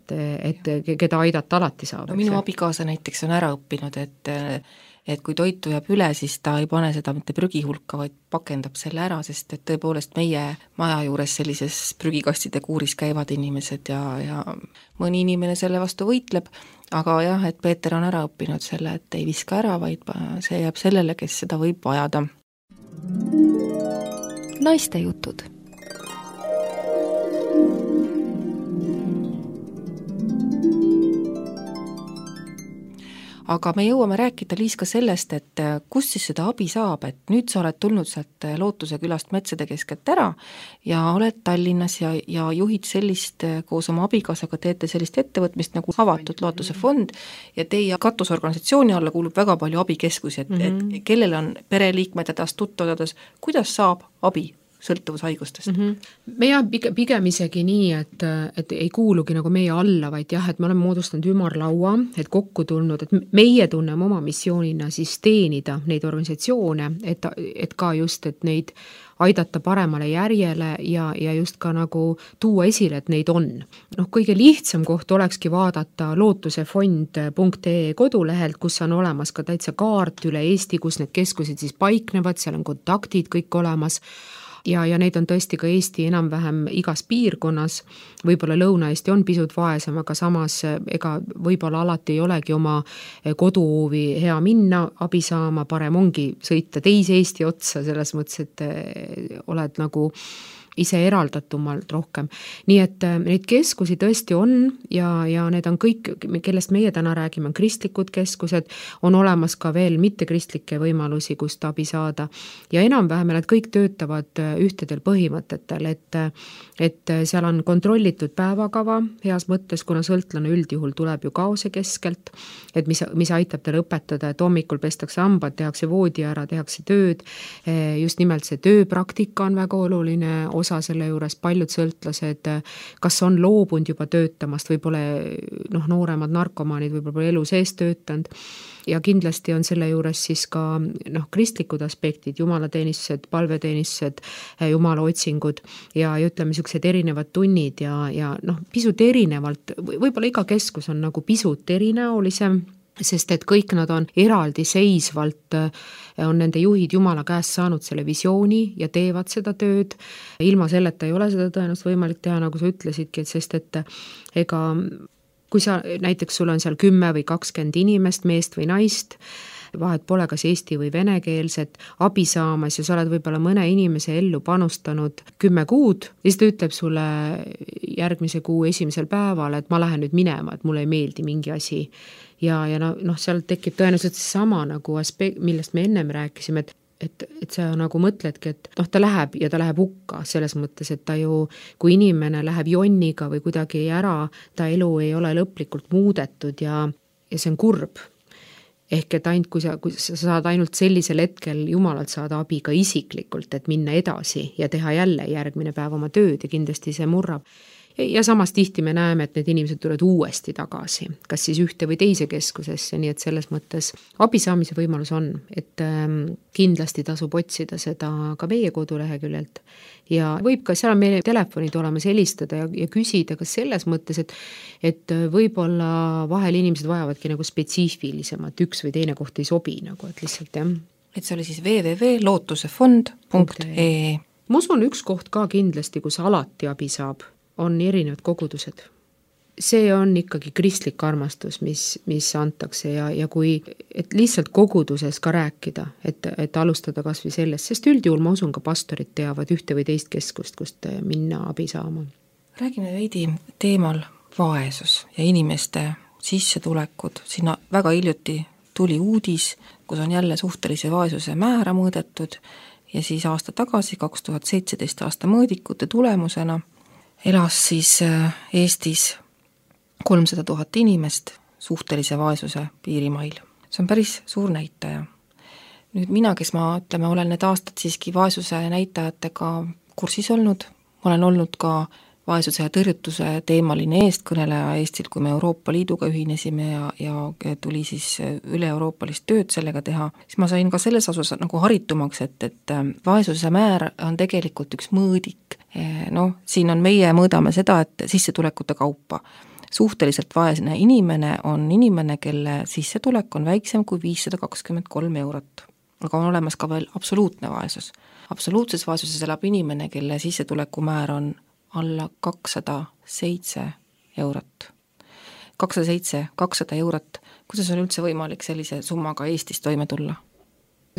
et keda aidata alati saab. No minu abikaasa näiteks on ära õppinud, et kui toitu jääb üle, siis ta ei pane seda mitte prügi hulka, vaid pakendab selle ära, sest et tõepoolest meie maja juures sellises prügikastide kuuris käivad inimesed ja mõni inimene selle vastu võitleb, aga jah, et Peeter on ära õppinud selle, et ei viska ära, vaid see jääb sellele, kes seda võib vajada. Naiste jutud. Aga me jõuame rääkida, Liis, ka sellest, et kus siis seda abi saab, et nüüd sa oled tulnud sealt Lootuse külast metsade keskelt ära ja oled Tallinnas ja juhid sellist, koos oma abikaasaga teete sellist ettevõtmist nagu avatud Lootuse fond ja teie katusorganisatsiooni alla kuulub väga palju abikeskusi, et kellel on pereliikmed hädas, tuttavad hädas, kuidas saab abi sõltuvushaigustest? Me pigem isegi nii, et ei kuulugi nagu meie alla, vaid jah, et me oleme moodustanud ümarlaua, et kokku tulnud, et meie tunneme oma missioonina siis teenida neid organisatsioone, et ka just, et neid aidata paremale järjele ja just ka nagu tuua esile, et neid on. Kõige lihtsam koht olekski vaadata lootusefond.ee kodulehelt, kus on olemas ka täitsa kaart üle Eesti, kus need keskused siis paiknevad, seal on kontaktid kõik olemas. Ja neid on tõesti ka Eesti enam-vähem igas piirkonnas, võib-olla Lõuna-Eesti on pisut vaesem, aga samas ega võib-olla alati ei olegi oma koduhoovi hea minna, abi saama, parem ongi sõita teise Eesti otsa, selles mõttes, et oled nagu ise eraldatumalt rohkem. Nii et neid keskusi tõesti on ja need on kõik, kellest meie täna räägime, on kristlikud keskused, on olemas ka veel mittekristlikke võimalusi, kust abi saada ja enam-vähem nad kõik töötavad ühtedel põhimõtetel, et seal on kontrollitud päevakava heas mõttes, kuna sõltlane üldjuhul tuleb ju kaose keskelt, et mis aitab tal õpetada, et hommikul pestakse hambad, tehakse voodi ära, tehakse tööd, just nimelt see tööpraktika on väga oluline osa selle juures, paljud sõltlased, kas on loobunud juba töötamast, võib-olla nooremad narkomaanid võib-olla elu sees töötanud ja kindlasti on selle juures siis ka kristlikud aspektid, jumalateenistused, palveteenistused, jumala otsingud ja ütleme niisugused erinevad tunnid ja pisut erinevalt, võib-olla iga keskus on nagu pisut erinäolisem, sest et kõik nad on eraldi seisvalt, on nende juhid Jumala käest saanud selle visiooni ja teevad seda tööd. Ilma selleta ei ole seda tõenäoliselt võimalik teha, nagu sa ütlesidki, sest et ega kui sa näiteks sul on seal 10 või 20 inimest, meest või naist, vahet pole kas eesti või venekeelset, abi saamas ja sa oled võib-olla mõne inimese ellu panustanud 10 kuud, siis ta ütleb sulle järgmise kuu esimesel päeval, et ma lähen nüüd minema, et mulle ei meeldi mingi asi. Ja seal tekib tõenäoliselt sama nagu aspekt, millest me ennem rääkisime, et sa nagu mõtledki, et ta läheb ja ta läheb hukka selles mõttes, et ta ju, kui inimene läheb jonniga või kuidagi ära, ta elu ei ole lõplikult muudetud ja see on kurb. Ehk et ainult kui sa saad ainult sellisel hetkel Jumalalt saada abi ka isiklikult, et minna edasi ja teha jälle järgmine päev oma tööd ja kindlasti see murrab. ja samas tihti me näeme, et need inimesed tulevad uuesti tagasi, kas siis ühte või teise keskusesse, nii et selles mõttes abi saamise võimalus on, et kindlasti tasub otsida seda ka meie koduleheküljelt ja võib ka seal meie telefonid olemas helistada ja küsida ka selles mõttes, et võib-olla vahel inimesed vajavadki nagu spetsiifilisemat, üks või teine koht ei sobi nagu, et lihtsalt jah. Et see oli siis www.lootusefond.ee. Ma usun üks koht ka kindlasti, kus alati abi saab, on erinevad kogudused. See on ikkagi kristlik armastus, mis antakse ja kui, et lihtsalt koguduses ka rääkida, et alustada kas või sellest, sest üldjuhul ma usun ka pastorid teavad ühte või teist keskust, kust minna abi saama. Räägime veidi teemal vaesus ja inimeste sissetulekud. Sinna väga hiljuti tuli uudis, kus on jälle suhtelise vaesuse määra mõõdetud ja siis aasta tagasi, 2017 aasta mõõdikute tulemusena elas siis Eestis 300 000 inimest suhtelise vaesuse piirimail. See on päris suur näitaja. Nüüd mina, kes olen need aastad siiski vaesuse näitajatega kursis olnud, ma olen olnud ka vaesuse ja tõrjutuse teemaline eestkõneleja Eestil, kui me Euroopa Liiduga ühinesime ja tuli siis üle-euroopalist tööd sellega teha, siis ma sain ka selles osas nagu haritumaks, et vaesuse määr on tegelikult üks mõõdik. Siin on meie mõõdame seda, et sissetulekute kaupa. Suhteliselt vaesne inimene on inimene, kelle sissetulek on väiksem kui 523 eurot. Aga on olemas ka veel absoluutne vaesus. Absoluutses vaesuses elab inimene, kelle sissetuleku määr on alla 207 eurot. 200 eurot. Kuidas on üldse võimalik sellise summaga Eestis toime tulla?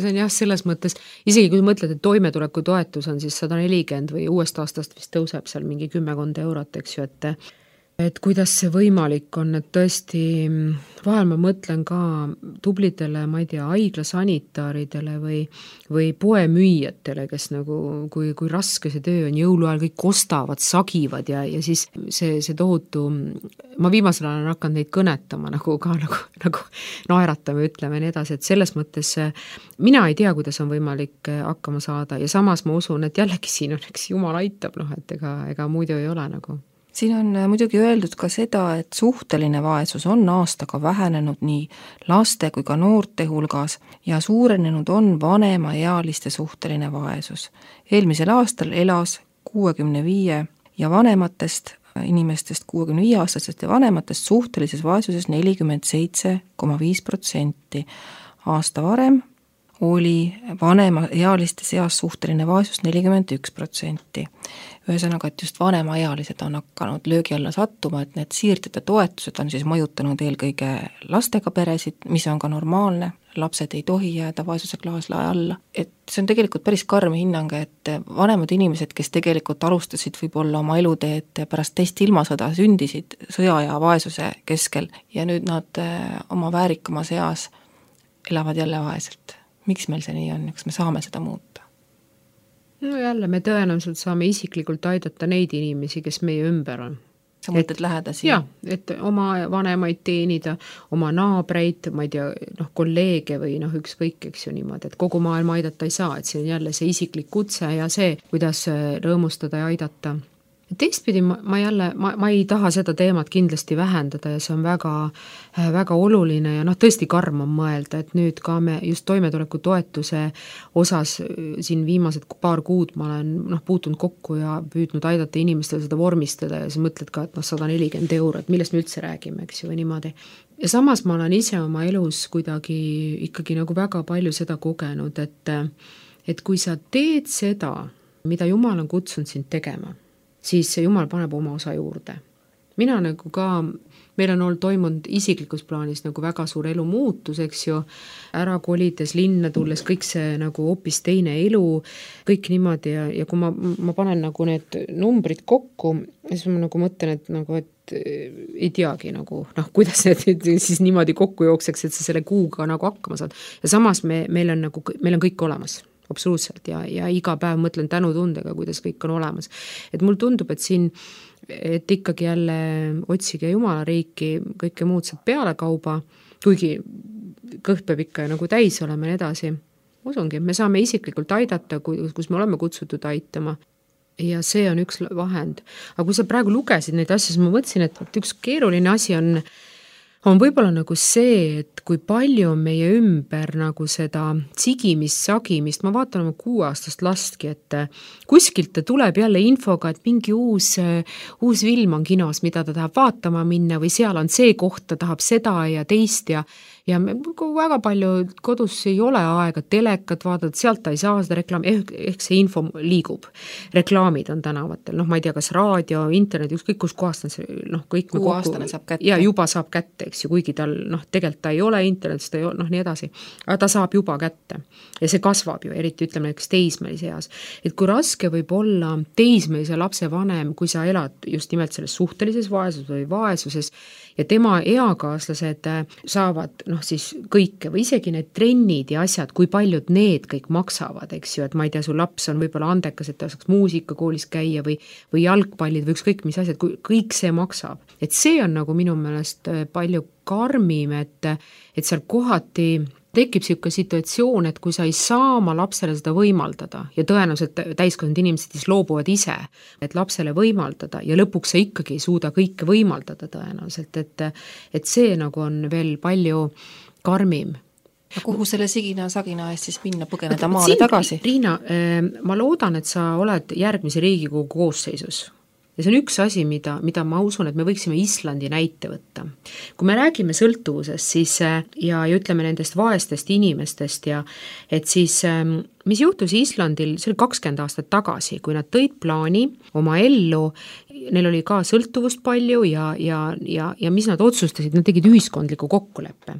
See on jah, selles mõttes, isegi kui mõtled, et toimetuleku toetus on siis 140 või uuest aastast vist tõuseb seal mingi 10 eurot, eks ju, et kuidas see võimalik on, et tõesti vahel ma mõtlen ka tublidele, ma ei tea, haiglasanitaaridele või poemüüjatele, kes nagu, kui raske see töö on, jõuluajal kõik ostavad, sagivad ja siis see tohutu, ma viimasel ajal olen hakanud neid kõnetama nagu naeratame, ütleme nii edasi, et selles mõttes mina ei tea, kuidas on võimalik hakkama saada ja samas ma usun, et jällegi siin on, eks Jumal aitab, et ega muidu ei ole nagu. Siin on muidugi öeldud ka seda, et suhteline vaesus on aastaga vähenenud nii laste kui ka noorte hulgas ja suurenenud on vanemaealiste suhteline vaesus. Eelmisel aastal elas 65 ja vanematest inimestest, 65-aastastest ja vanematest suhtelises vaesuses 47,5%. Aasta varem oli vanemaealiste seas suhteline vaesus 41%. Ühesõnaga, et just vanemaealised on hakanud löögi alla sattuma, et need siirdjate toetused on siis mõjutanud eelkõige lastega peresid, mis on ka normaalne, lapsed ei tohi jääda vaesuse klaaslae alla. Et see on tegelikult päris karm hinnang, et vanemad inimesed, kes tegelikult alustasid võib-olla oma eluteed pärast teist ilmasõda, sündisid sõja ja vaesuse keskel ja nüüd nad oma väärikamas eas elavad jälle vaeselt. Miks meil see nii on, kas me saame seda muuta? No jälle, me tõenäoliselt saame isiklikult aidata neid inimesi, kes meie ümber on. Sa mõtled lähedasi? Jah, et oma vanemaid teenida, oma naabreid, ma ei tea, kolleege või ükskõik, eks ju niimoodi, et kogu maailma aidata ei saa, et see on jälle see isiklik kutse ja see, kuidas rõõmustada ja aidata. Teistpidi ma ei taha seda teemat kindlasti vähendada ja see on väga, väga oluline ja tõesti karm on mõelda, et nüüd ka me just toimetuleku toetuse osas siin viimased paar kuud ma olen puutunud kokku ja püüdnud aidata inimestel seda vormistada ja siis mõtled ka, et 140 eurot, millest me üldse räägime, eks ju, või niimoodi. Ja samas ma olen ise oma elus kuidagi ikkagi nagu väga palju seda kogenud, et kui sa teed seda, mida Jumal on kutsunud sind tegema, siis Jumal paneb oma osa juurde. Mina nagu ka, meil on toimunud isiklikus plaanis nagu väga suur elu muutus, eks ju, ära kolides, linna tulles, kõik see nagu hoopis teine elu, kõik niimoodi ja kui ma panen nagu need numbrid kokku, siis ma nagu mõtlen, et ei teagi nagu, kuidas need siis niimoodi kokku jookseks, et sa selle kuuga nagu hakkama saad. Ja samas meil on kõik olemas. Absoluutselt ja iga päev mõtlen tänutundega, kuidas kõik on olemas. Et mul tundub, et siin, et ikkagi jälle otsige Jumala riiki, kõike muud saab peale kauba, kuigi kõht peab ikka nagu täis olema ja edasi. Usungi, me saame isiklikult aidata, kus me oleme kutsutud aitama. ja see on üks vahend. Aga kui sa praegu lugesid neid asju, siis ma mõtlesin, et üks keeruline asi on võib-olla nagu see, et kui palju on meie ümber nagu seda sigimist, sagimist, ma vaatan oma 6-aastast lastki, et kuskilt ta tuleb jälle infoga, et mingi uus film on kinos, mida ta tahab vaatama minna või seal on see koht, ta tahab seda ja teist ja väga palju kodus ei ole aega telekat vaadata, sealt ta ei saa seda reklaami, ehk see info liigub. Reklaamid on tänavatel, ma ei tea, kas raadio, internet, ükskõik kus kohast on see, kõik 6-aastane saab kätte. Ja juba saab kätte, eks ju, kuigi tal, tegelikult ta ei ole internetis, ta ei ole, nii edasi. Aga ta saab juba kätte. Ja see kasvab ju, eriti ütleme näiteks teismelise eas. Et kui raske võib olla teismelise lapse vanem, kui sa elad just nimelt selles suhtelises vaesuses või vaesuses ja tema eakaaslased saavad siis kõike või isegi need trennid ja asjad, kui paljud need kõik maksavad, eks ju, et ma ei tea, su laps on võib-olla andekas, et ta saaks muusikakoolis käia või jalgpallid või ükskõik mis asjad, kui kõik see maksab. Et see on nagu minu meelest palju karmim, et seal kohati tekib siuke situatsioon, et kui sa ei saa oma lapsele seda võimaldada ja tõenäoliselt täiskasvanud inimesed siis loobuvad ise, et lapsele võimaldada ja lõpuks sa ikkagi ei suuda kõike võimaldada tõenäoliselt, et see nagu on veel palju karmim. Kuhu selle sigina-sagina eest siis minna, põgeneda maale tagasi? Riina, ma loodan, et sa oled järgmise Riigikogu koosseisus. Ja see on üks asi, mida ma usun, et me võiksime Islandi näite võtta. Kui me räägime sõltuvusest siis, ja ütleme nendest vaestest inimestest, et siis mis juhtus Islandil, see oli 20 aastat tagasi, kui nad tõid plaani oma ellu, neil oli ka sõltuvust palju ja mis nad otsustasid, nad tegid ühiskondliku kokkuleppe.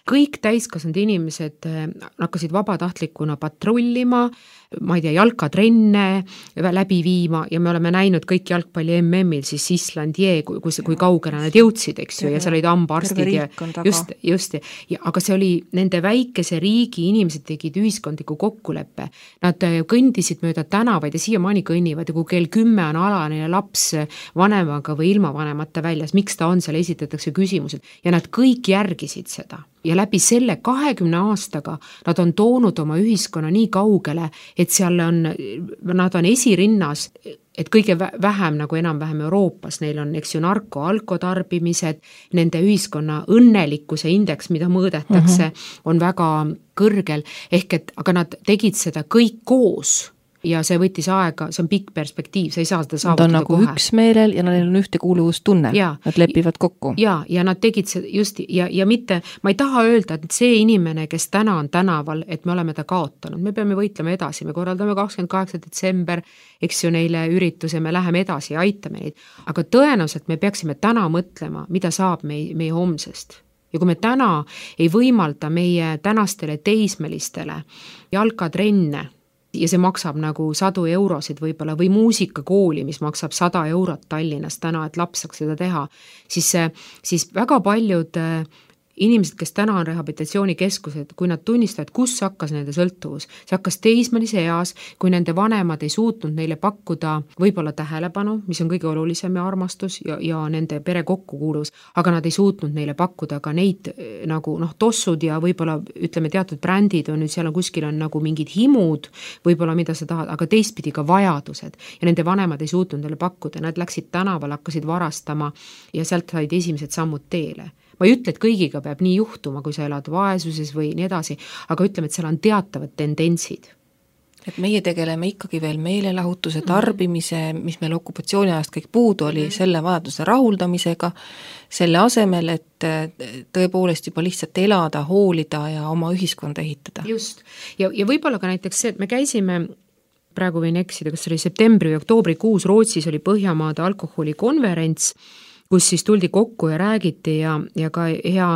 Kõik täiskasvanud inimesed hakkasid vabatahtlikuna patrullima, ma ei tea, jalkatrenne läbi viima ja me oleme näinud kõik jalgpalli MM-il siis Islandie, kui kaugele nad jõudsid, eks ju, ja seal olid hambaarstid ja just, aga see oli nende väikese riigi inimesed tegid ühiskondliku kokkuleppe. Nad kõndisid mööda tänavaid ja siiamaani kõnnivad ja kui kell 10 on alaneja laps vanemaga või ilma vanemata väljas, miks ta on seal, esitatakse küsimused ja nad kõik järgisid seda. Ja läbi selle 20 aastaga nad on toonud oma ühiskonna nii kaugele, et seal nad on esirinnas, et kõige vähem nagu enam-vähem Euroopas, neil on, eks ju, alkotarbimised, nende ühiskonna õnnelikkuse indeks, mida mõõdetakse, on väga kõrgel, aga nad tegid seda kõik koos. Ja see võttis aega, see on pikk perspektiiv, sa ei saa seda saavutada kohe. Nad on nagu üksmeelel ja neil on ühtekuuluvustunne, nad lepivad kokku. Ja nad tegid see just ja mitte, ma ei taha öelda, et see inimene, kes täna on tänaval, et me oleme ta kaotanud, me peame võitlema edasi, me korraldame 28. detsember, eks ju, neile ürituse, me läheme edasi ja aitame neid, aga tõenäoliselt me peaksime täna mõtlema, mida saab meie homsest. Ja kui me täna ei võimalda meie tänastele teismelistele jalkatrenne, ja see maksab nagu 100 eurosid võib-olla või muusikakooli, mis maksab 100 eurot Tallinnas täna, et laps saaks seda teha, siis väga paljud inimesed, kes täna on rehabilitatsioonikeskused, kui nad tunnistavad, kus hakkas nende sõltuvus, see hakkas teismelise eas, kui nende vanemad ei suutnud neile pakkuda võib-olla tähelepanu, mis on kõige olulisem ja armastus ja nende pere kokkukuuluvus, aga nad ei suutnud neile pakkuda ka neid nagu tossud ja võib-olla ütleme teatud brändid on nüüd seal on kuskil on nagu mingid himud, võib-olla mida sa tahad, aga teistpidi ka vajadused ja nende vanemad ei suutnud neile pakkuda, nad läksid tänaval, hakkasid varastama ja sealt said esimesed sammud teele. Ma ei ütle, et kõigiga peab nii juhtuma, kui sa elad vaesuses või nii edasi, aga ütleme, et seal on teatavad tendentsid. Et meie tegeleme ikkagi veel meelelahutuse, tarbimise, mis meil okupatsiooni ajast kõik puudu oli, selle vajaduse rahuldamisega, selle asemel, et tõepoolest juba lihtsalt elada, hoolida ja oma ühiskonda ehitada. Just. Ja võib-olla ka näiteks see, et me käisime praegu võin eksida, kas oli septembri või oktoobrikuus Rootsis oli Põhjamaade alkoholikonverents, kus siis tuldi kokku ja räägiti ja ka hea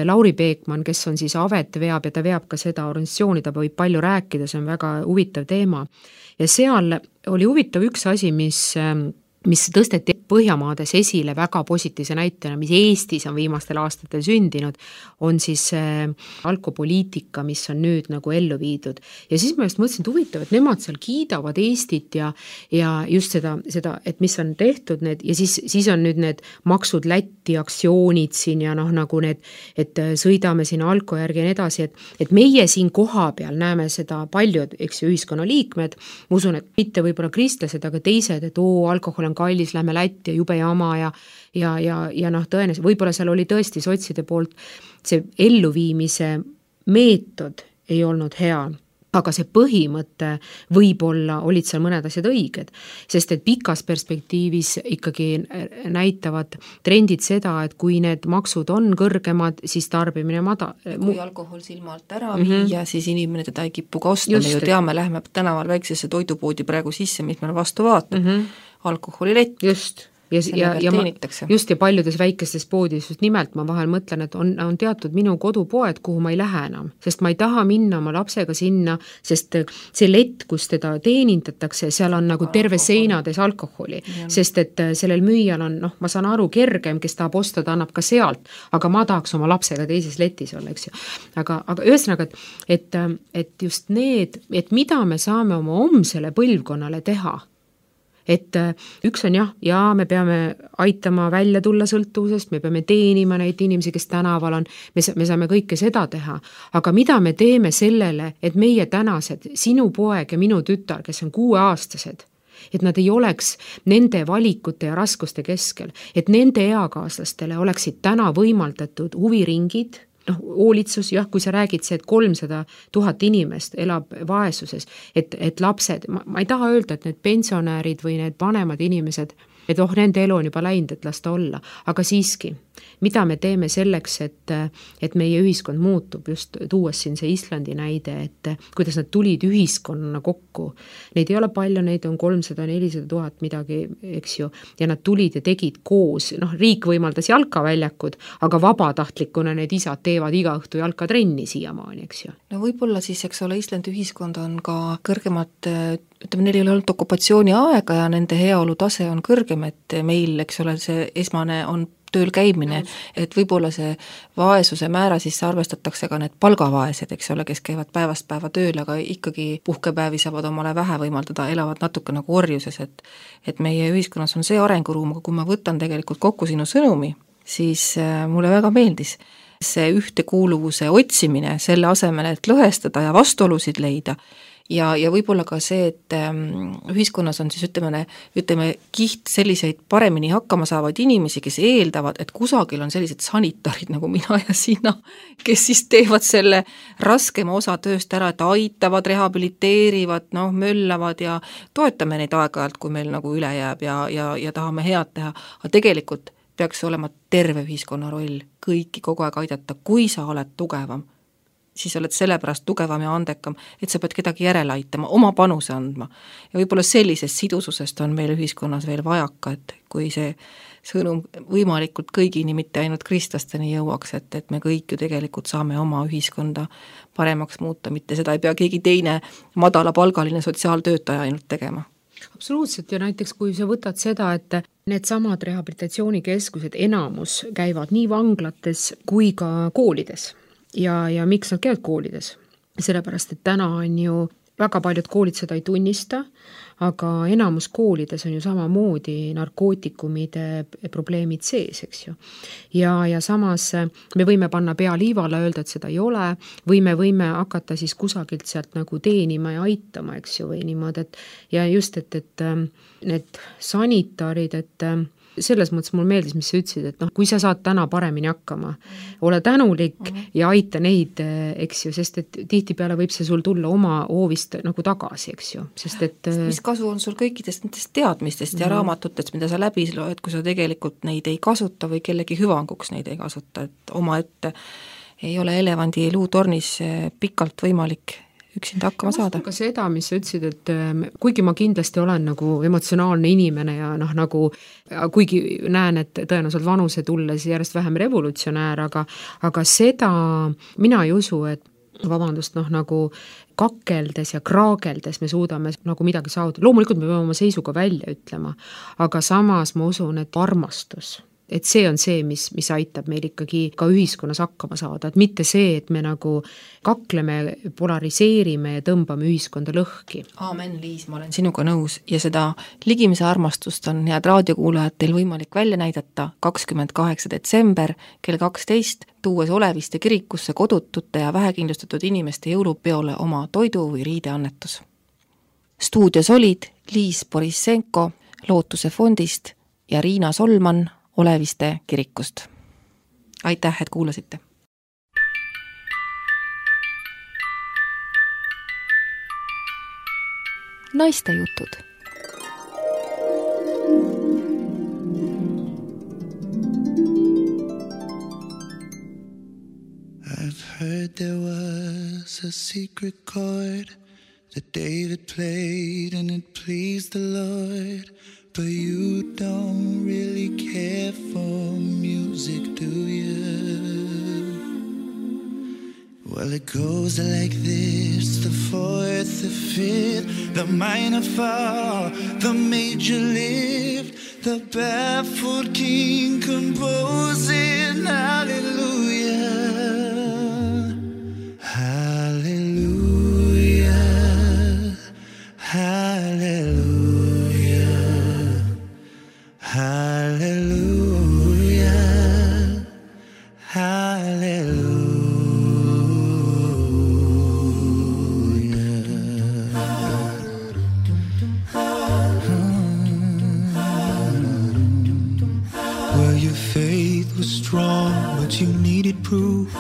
Lauri Peekman, kes on siis Avet veab ja ta veab ka seda organisatsiooni, ta võib palju rääkida, see on väga huvitav teema. Ja seal oli huvitav üks asi, mis mis tõsteti Põhjamaades esile väga positiivse näitena, mis Eestis on viimastel aastatel sündinud, on siis alkopoliitika, mis on nüüd nagu ellu viidud. Ja siis ma just mõtlesin, et huvitav, et nemad seal kiidavad Eestit ja just seda, et mis on tehtud need, ja siis on nüüd need maksud Lätti aktsioonid siin ja nagu need, et sõidame siin alko järgi ja nii edasi, et meie siin koha peal näeme seda paljud, eks ju, ühiskonnaliikmed, ma usun, et mitte võib-olla kristlased, aga teised, et alkohol on kallis, lähme Lätti ja jube jama ja tõenäoliselt, võib-olla seal oli tõesti sotside poolt see elluviimise meetod ei olnud hea, aga see põhimõte võib-olla olid seal mõned asjad õiged, sest et pikas perspektiivis ikkagi näitavad trendid seda, et kui need maksud on kõrgemad, siis tarbimine kui alkohol silma alt ära viia, siis inimene teda ei kipu ka osta, me ju teame, lähme tänaval väiksesse toidupoodi praegu sisse, mis meil vastu vaatab, alkoholilett. Just. Ja paljudes väikestes poodis just nimelt ma vahel mõtlen, et on teatud minu kodupoed, kuhu ma ei lähe enam, sest ma ei taha minna oma lapsega sinna, sest see lett, kus teda teenindatakse, seal on nagu terve seinades alkoholi, sest et sellel müüjal on, ma saan aru, kergem, kes tahab osta, ta annab ka sealt, aga ma tahaks oma lapsega teises letis olla, eks ju. Aga ühesõnaga, et just need, et mida me saame oma homsele põlvkonnale teha, et üks on ja me peame aitama välja tulla sõltuvusest, me peame teenima neid inimesi, kes tänaval on, me saame kõike seda teha, aga mida me teeme sellele, et meie tänased, sinu poeg ja minu tütar, kes on 6-aastased, et nad ei oleks nende valikute ja raskuste keskel, et nende eakaaslastele oleksid täna võimaldatud huviringid, hoolitsus, kui sa räägid see, et 300 000 inimest elab vaesuses, et lapsed, ma ei taha öelda, et need pensionäärid või need vanemad inimesed, et nende elu on juba läinud, et las ta olla, aga siiski, mida me teeme selleks, et meie ühiskond muutub, just tuues siin see Islandi näide, et kuidas nad tulid ühiskonnana kokku. Neid ei ole palju, neid on 300-400 000 midagi, eks ju, ja nad tulid ja tegid koos, riik võimaldas jalkaväljakud, aga vabatahtlikuna need isad teevad iga õhtu jalkatrenni siiamaani, eks ju. No võib-olla siis, eks ole, Islandi ühiskond on ka kõrgemat, ütleme, neil ei ole olnud okupatsiooni aega ja nende heaolu tase on kõrgem, et meil, eks ole, see esmane on tööl käimine, et võib-olla see vaesuse määra sisse arvestatakse ka need palgavaesed, eks ole, kes käivad päevast päeva tööl, aga ikkagi puhkepäevi saavad omale vähe võimaldada, elavad natuke nagu orjuses, et meie ühiskonnas on see arenguruum, aga kui ma võtan tegelikult kokku sinu sõnumi, siis mulle väga meeldis see ühtekuuluvuse otsimine selle asemel, et lõhestada ja vastuolusid leida, ja võib-olla ka see, et ühiskonnas on siis ütleme kiht selliseid paremini hakkama saavaid inimesi, kes eeldavad, et kusagil on sellised sanitarid nagu mina ja sina, kes siis teevad selle raskema osa tööst ära, et aitavad, rehabiliteerivad, möllavad ja toetame neid aeg-ajalt, kui meil nagu üle jääb ja tahame head teha, aga tegelikult peaks olema terve ühiskonna roll kõiki kogu aeg aidata, kui sa oled tugevam, siis oled sellepärast tugevam ja andekam, et sa pead kedagi järele aitama, oma panuse andma. Ja võib-olla sellisest sidususest on meil ühiskonnas veel vajaka, et kui see sõnum võimalikult kõigini, mitte ainult kristlasteni jõuaks, et me kõik ju tegelikult saame oma ühiskonda paremaks muuta, mitte seda ei pea keegi teine madalapalgaline sotsiaaltöötaja ainult tegema. Absoluutselt, ja näiteks kui sa võtad seda, et need samad rehabilitatsioonikeskused enamus käivad nii vanglates kui ka koolides. Ja miks nad käivad koolides? Sellepärast, et täna on ju väga paljud koolid seda ei tunnista, aga enamus koolides on ju samamoodi narkootikumide probleemid sees, eks ju. Ja samas me võime panna pea liivale, öelda, et seda ei ole, või me võime hakata siis kusagilt sealt nagu teenima ja aitama, eks ju, või niimoodi, ja just, et need sanitarid, et selles mõttes mul meeldis, mis sa ütlesid, et kui sa saad täna paremini hakkama, ole tänulik ja aita neid, eks ju, sest et tihtipeale võib see sul tulla oma hoovist nagu tagasi, eks ju, sest et mis kasu on sul kõikidest nendest teadmistest ja raamatutest, mida sa läbi loed, kui sa tegelikult neid ei kasuta või kellegi hüvanguks neid ei kasuta, et oma ette ei ole elevandi luutornis pikalt võimalik üksinda hakkama saada. Ka seda, mis sa ütlesid, et kuigi ma kindlasti olen nagu emotsionaalne inimene ja nagu kuigi näen, et tõenäoliselt vanuse tulles järjest vähem revolutsionäär, aga seda mina ei usu, et nagu kakeldes ja kraageldes me suudame nagu midagi saavutada. Loomulikult me peame oma seisuga välja ütlema, aga samas ma usun, et armastus, et see on see, mis aitab meil ikkagi ka ühiskonnas hakkama saada, et mitte see, et me nagu kakleme, polariseerime ja tõmbame ühiskonda lõhki. Aamen, Liis, ma olen sinuga nõus ja seda ligimise armastust on head raadiokuulajad teil võimalik välja näidata 28. detsember kell 12, tuues Oleviste kirikusse kodutute ja vähekindlustatud inimeste jõulupeole oma toidu või riideannetus. Stuudios olid Liis Borissenko Lootuse fondist ja Riina Solman Oleviste kirikust. Aitäh, et kuulasite! Naiste jutud. I've heard there was a secret chord that David played and it pleased the Lord. But you don't really care for music, do you? Well, it goes like this: the fourth, the fifth, the minor fall, the major lift, the baffled king composing hallelujah, hallelujah, hallelujah. Hallelujah, hallelujah. Well, your faith was strong, but you needed proof.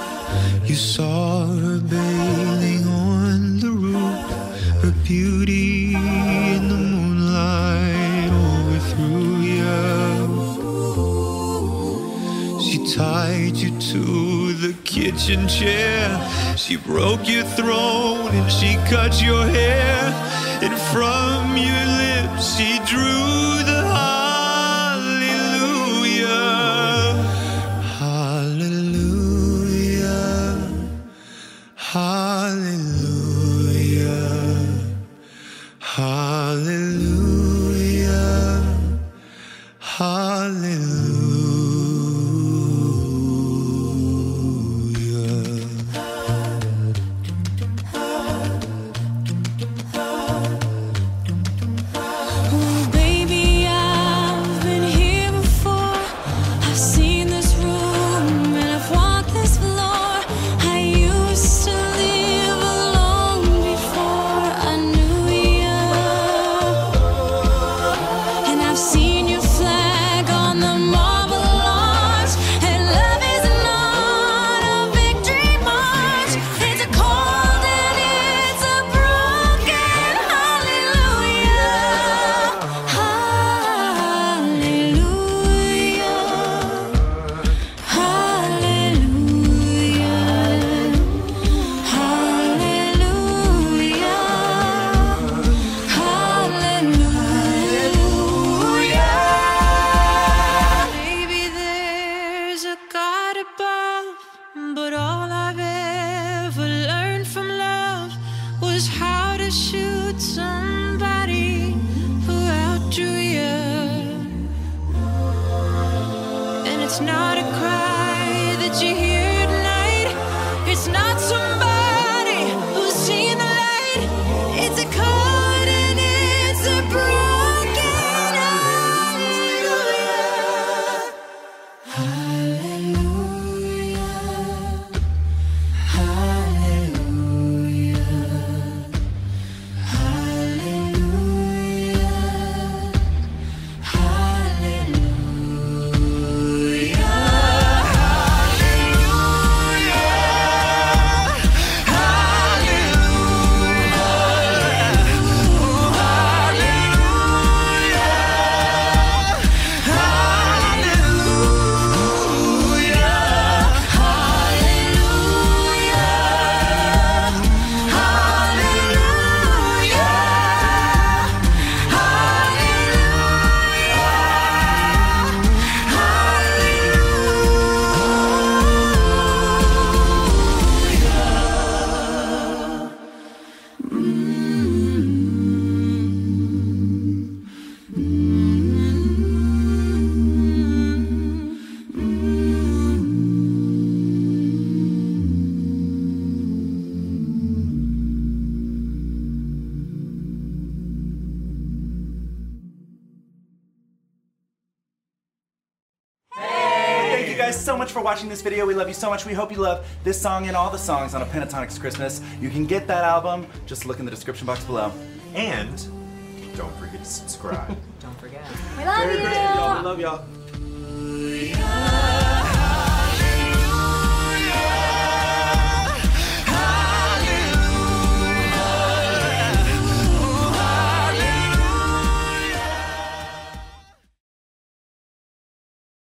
You saw her bathing on the roof, her beauty in the moonlight overthrew you. She tied you to the kitchen chair, she broke your throne and she cut your hair, and from your lips she drew the hallelujah, hallelujah, hallelujah, hallelujah, hallelujah. It's not a cry that you hear tonight. It's not somebody who's seen the light. It's a chord and it's a broken hallelujah. Hallelujah. Hallelujah. Hallelujah. Hallelujah. you guys so much for watching this video. We love you so much. We hope you love this song and all the songs on A Pentatonics Christmas. You can get that album. Just look in the description box below. And don't forget to subscribe. Don't forget. We love you. We love y'all.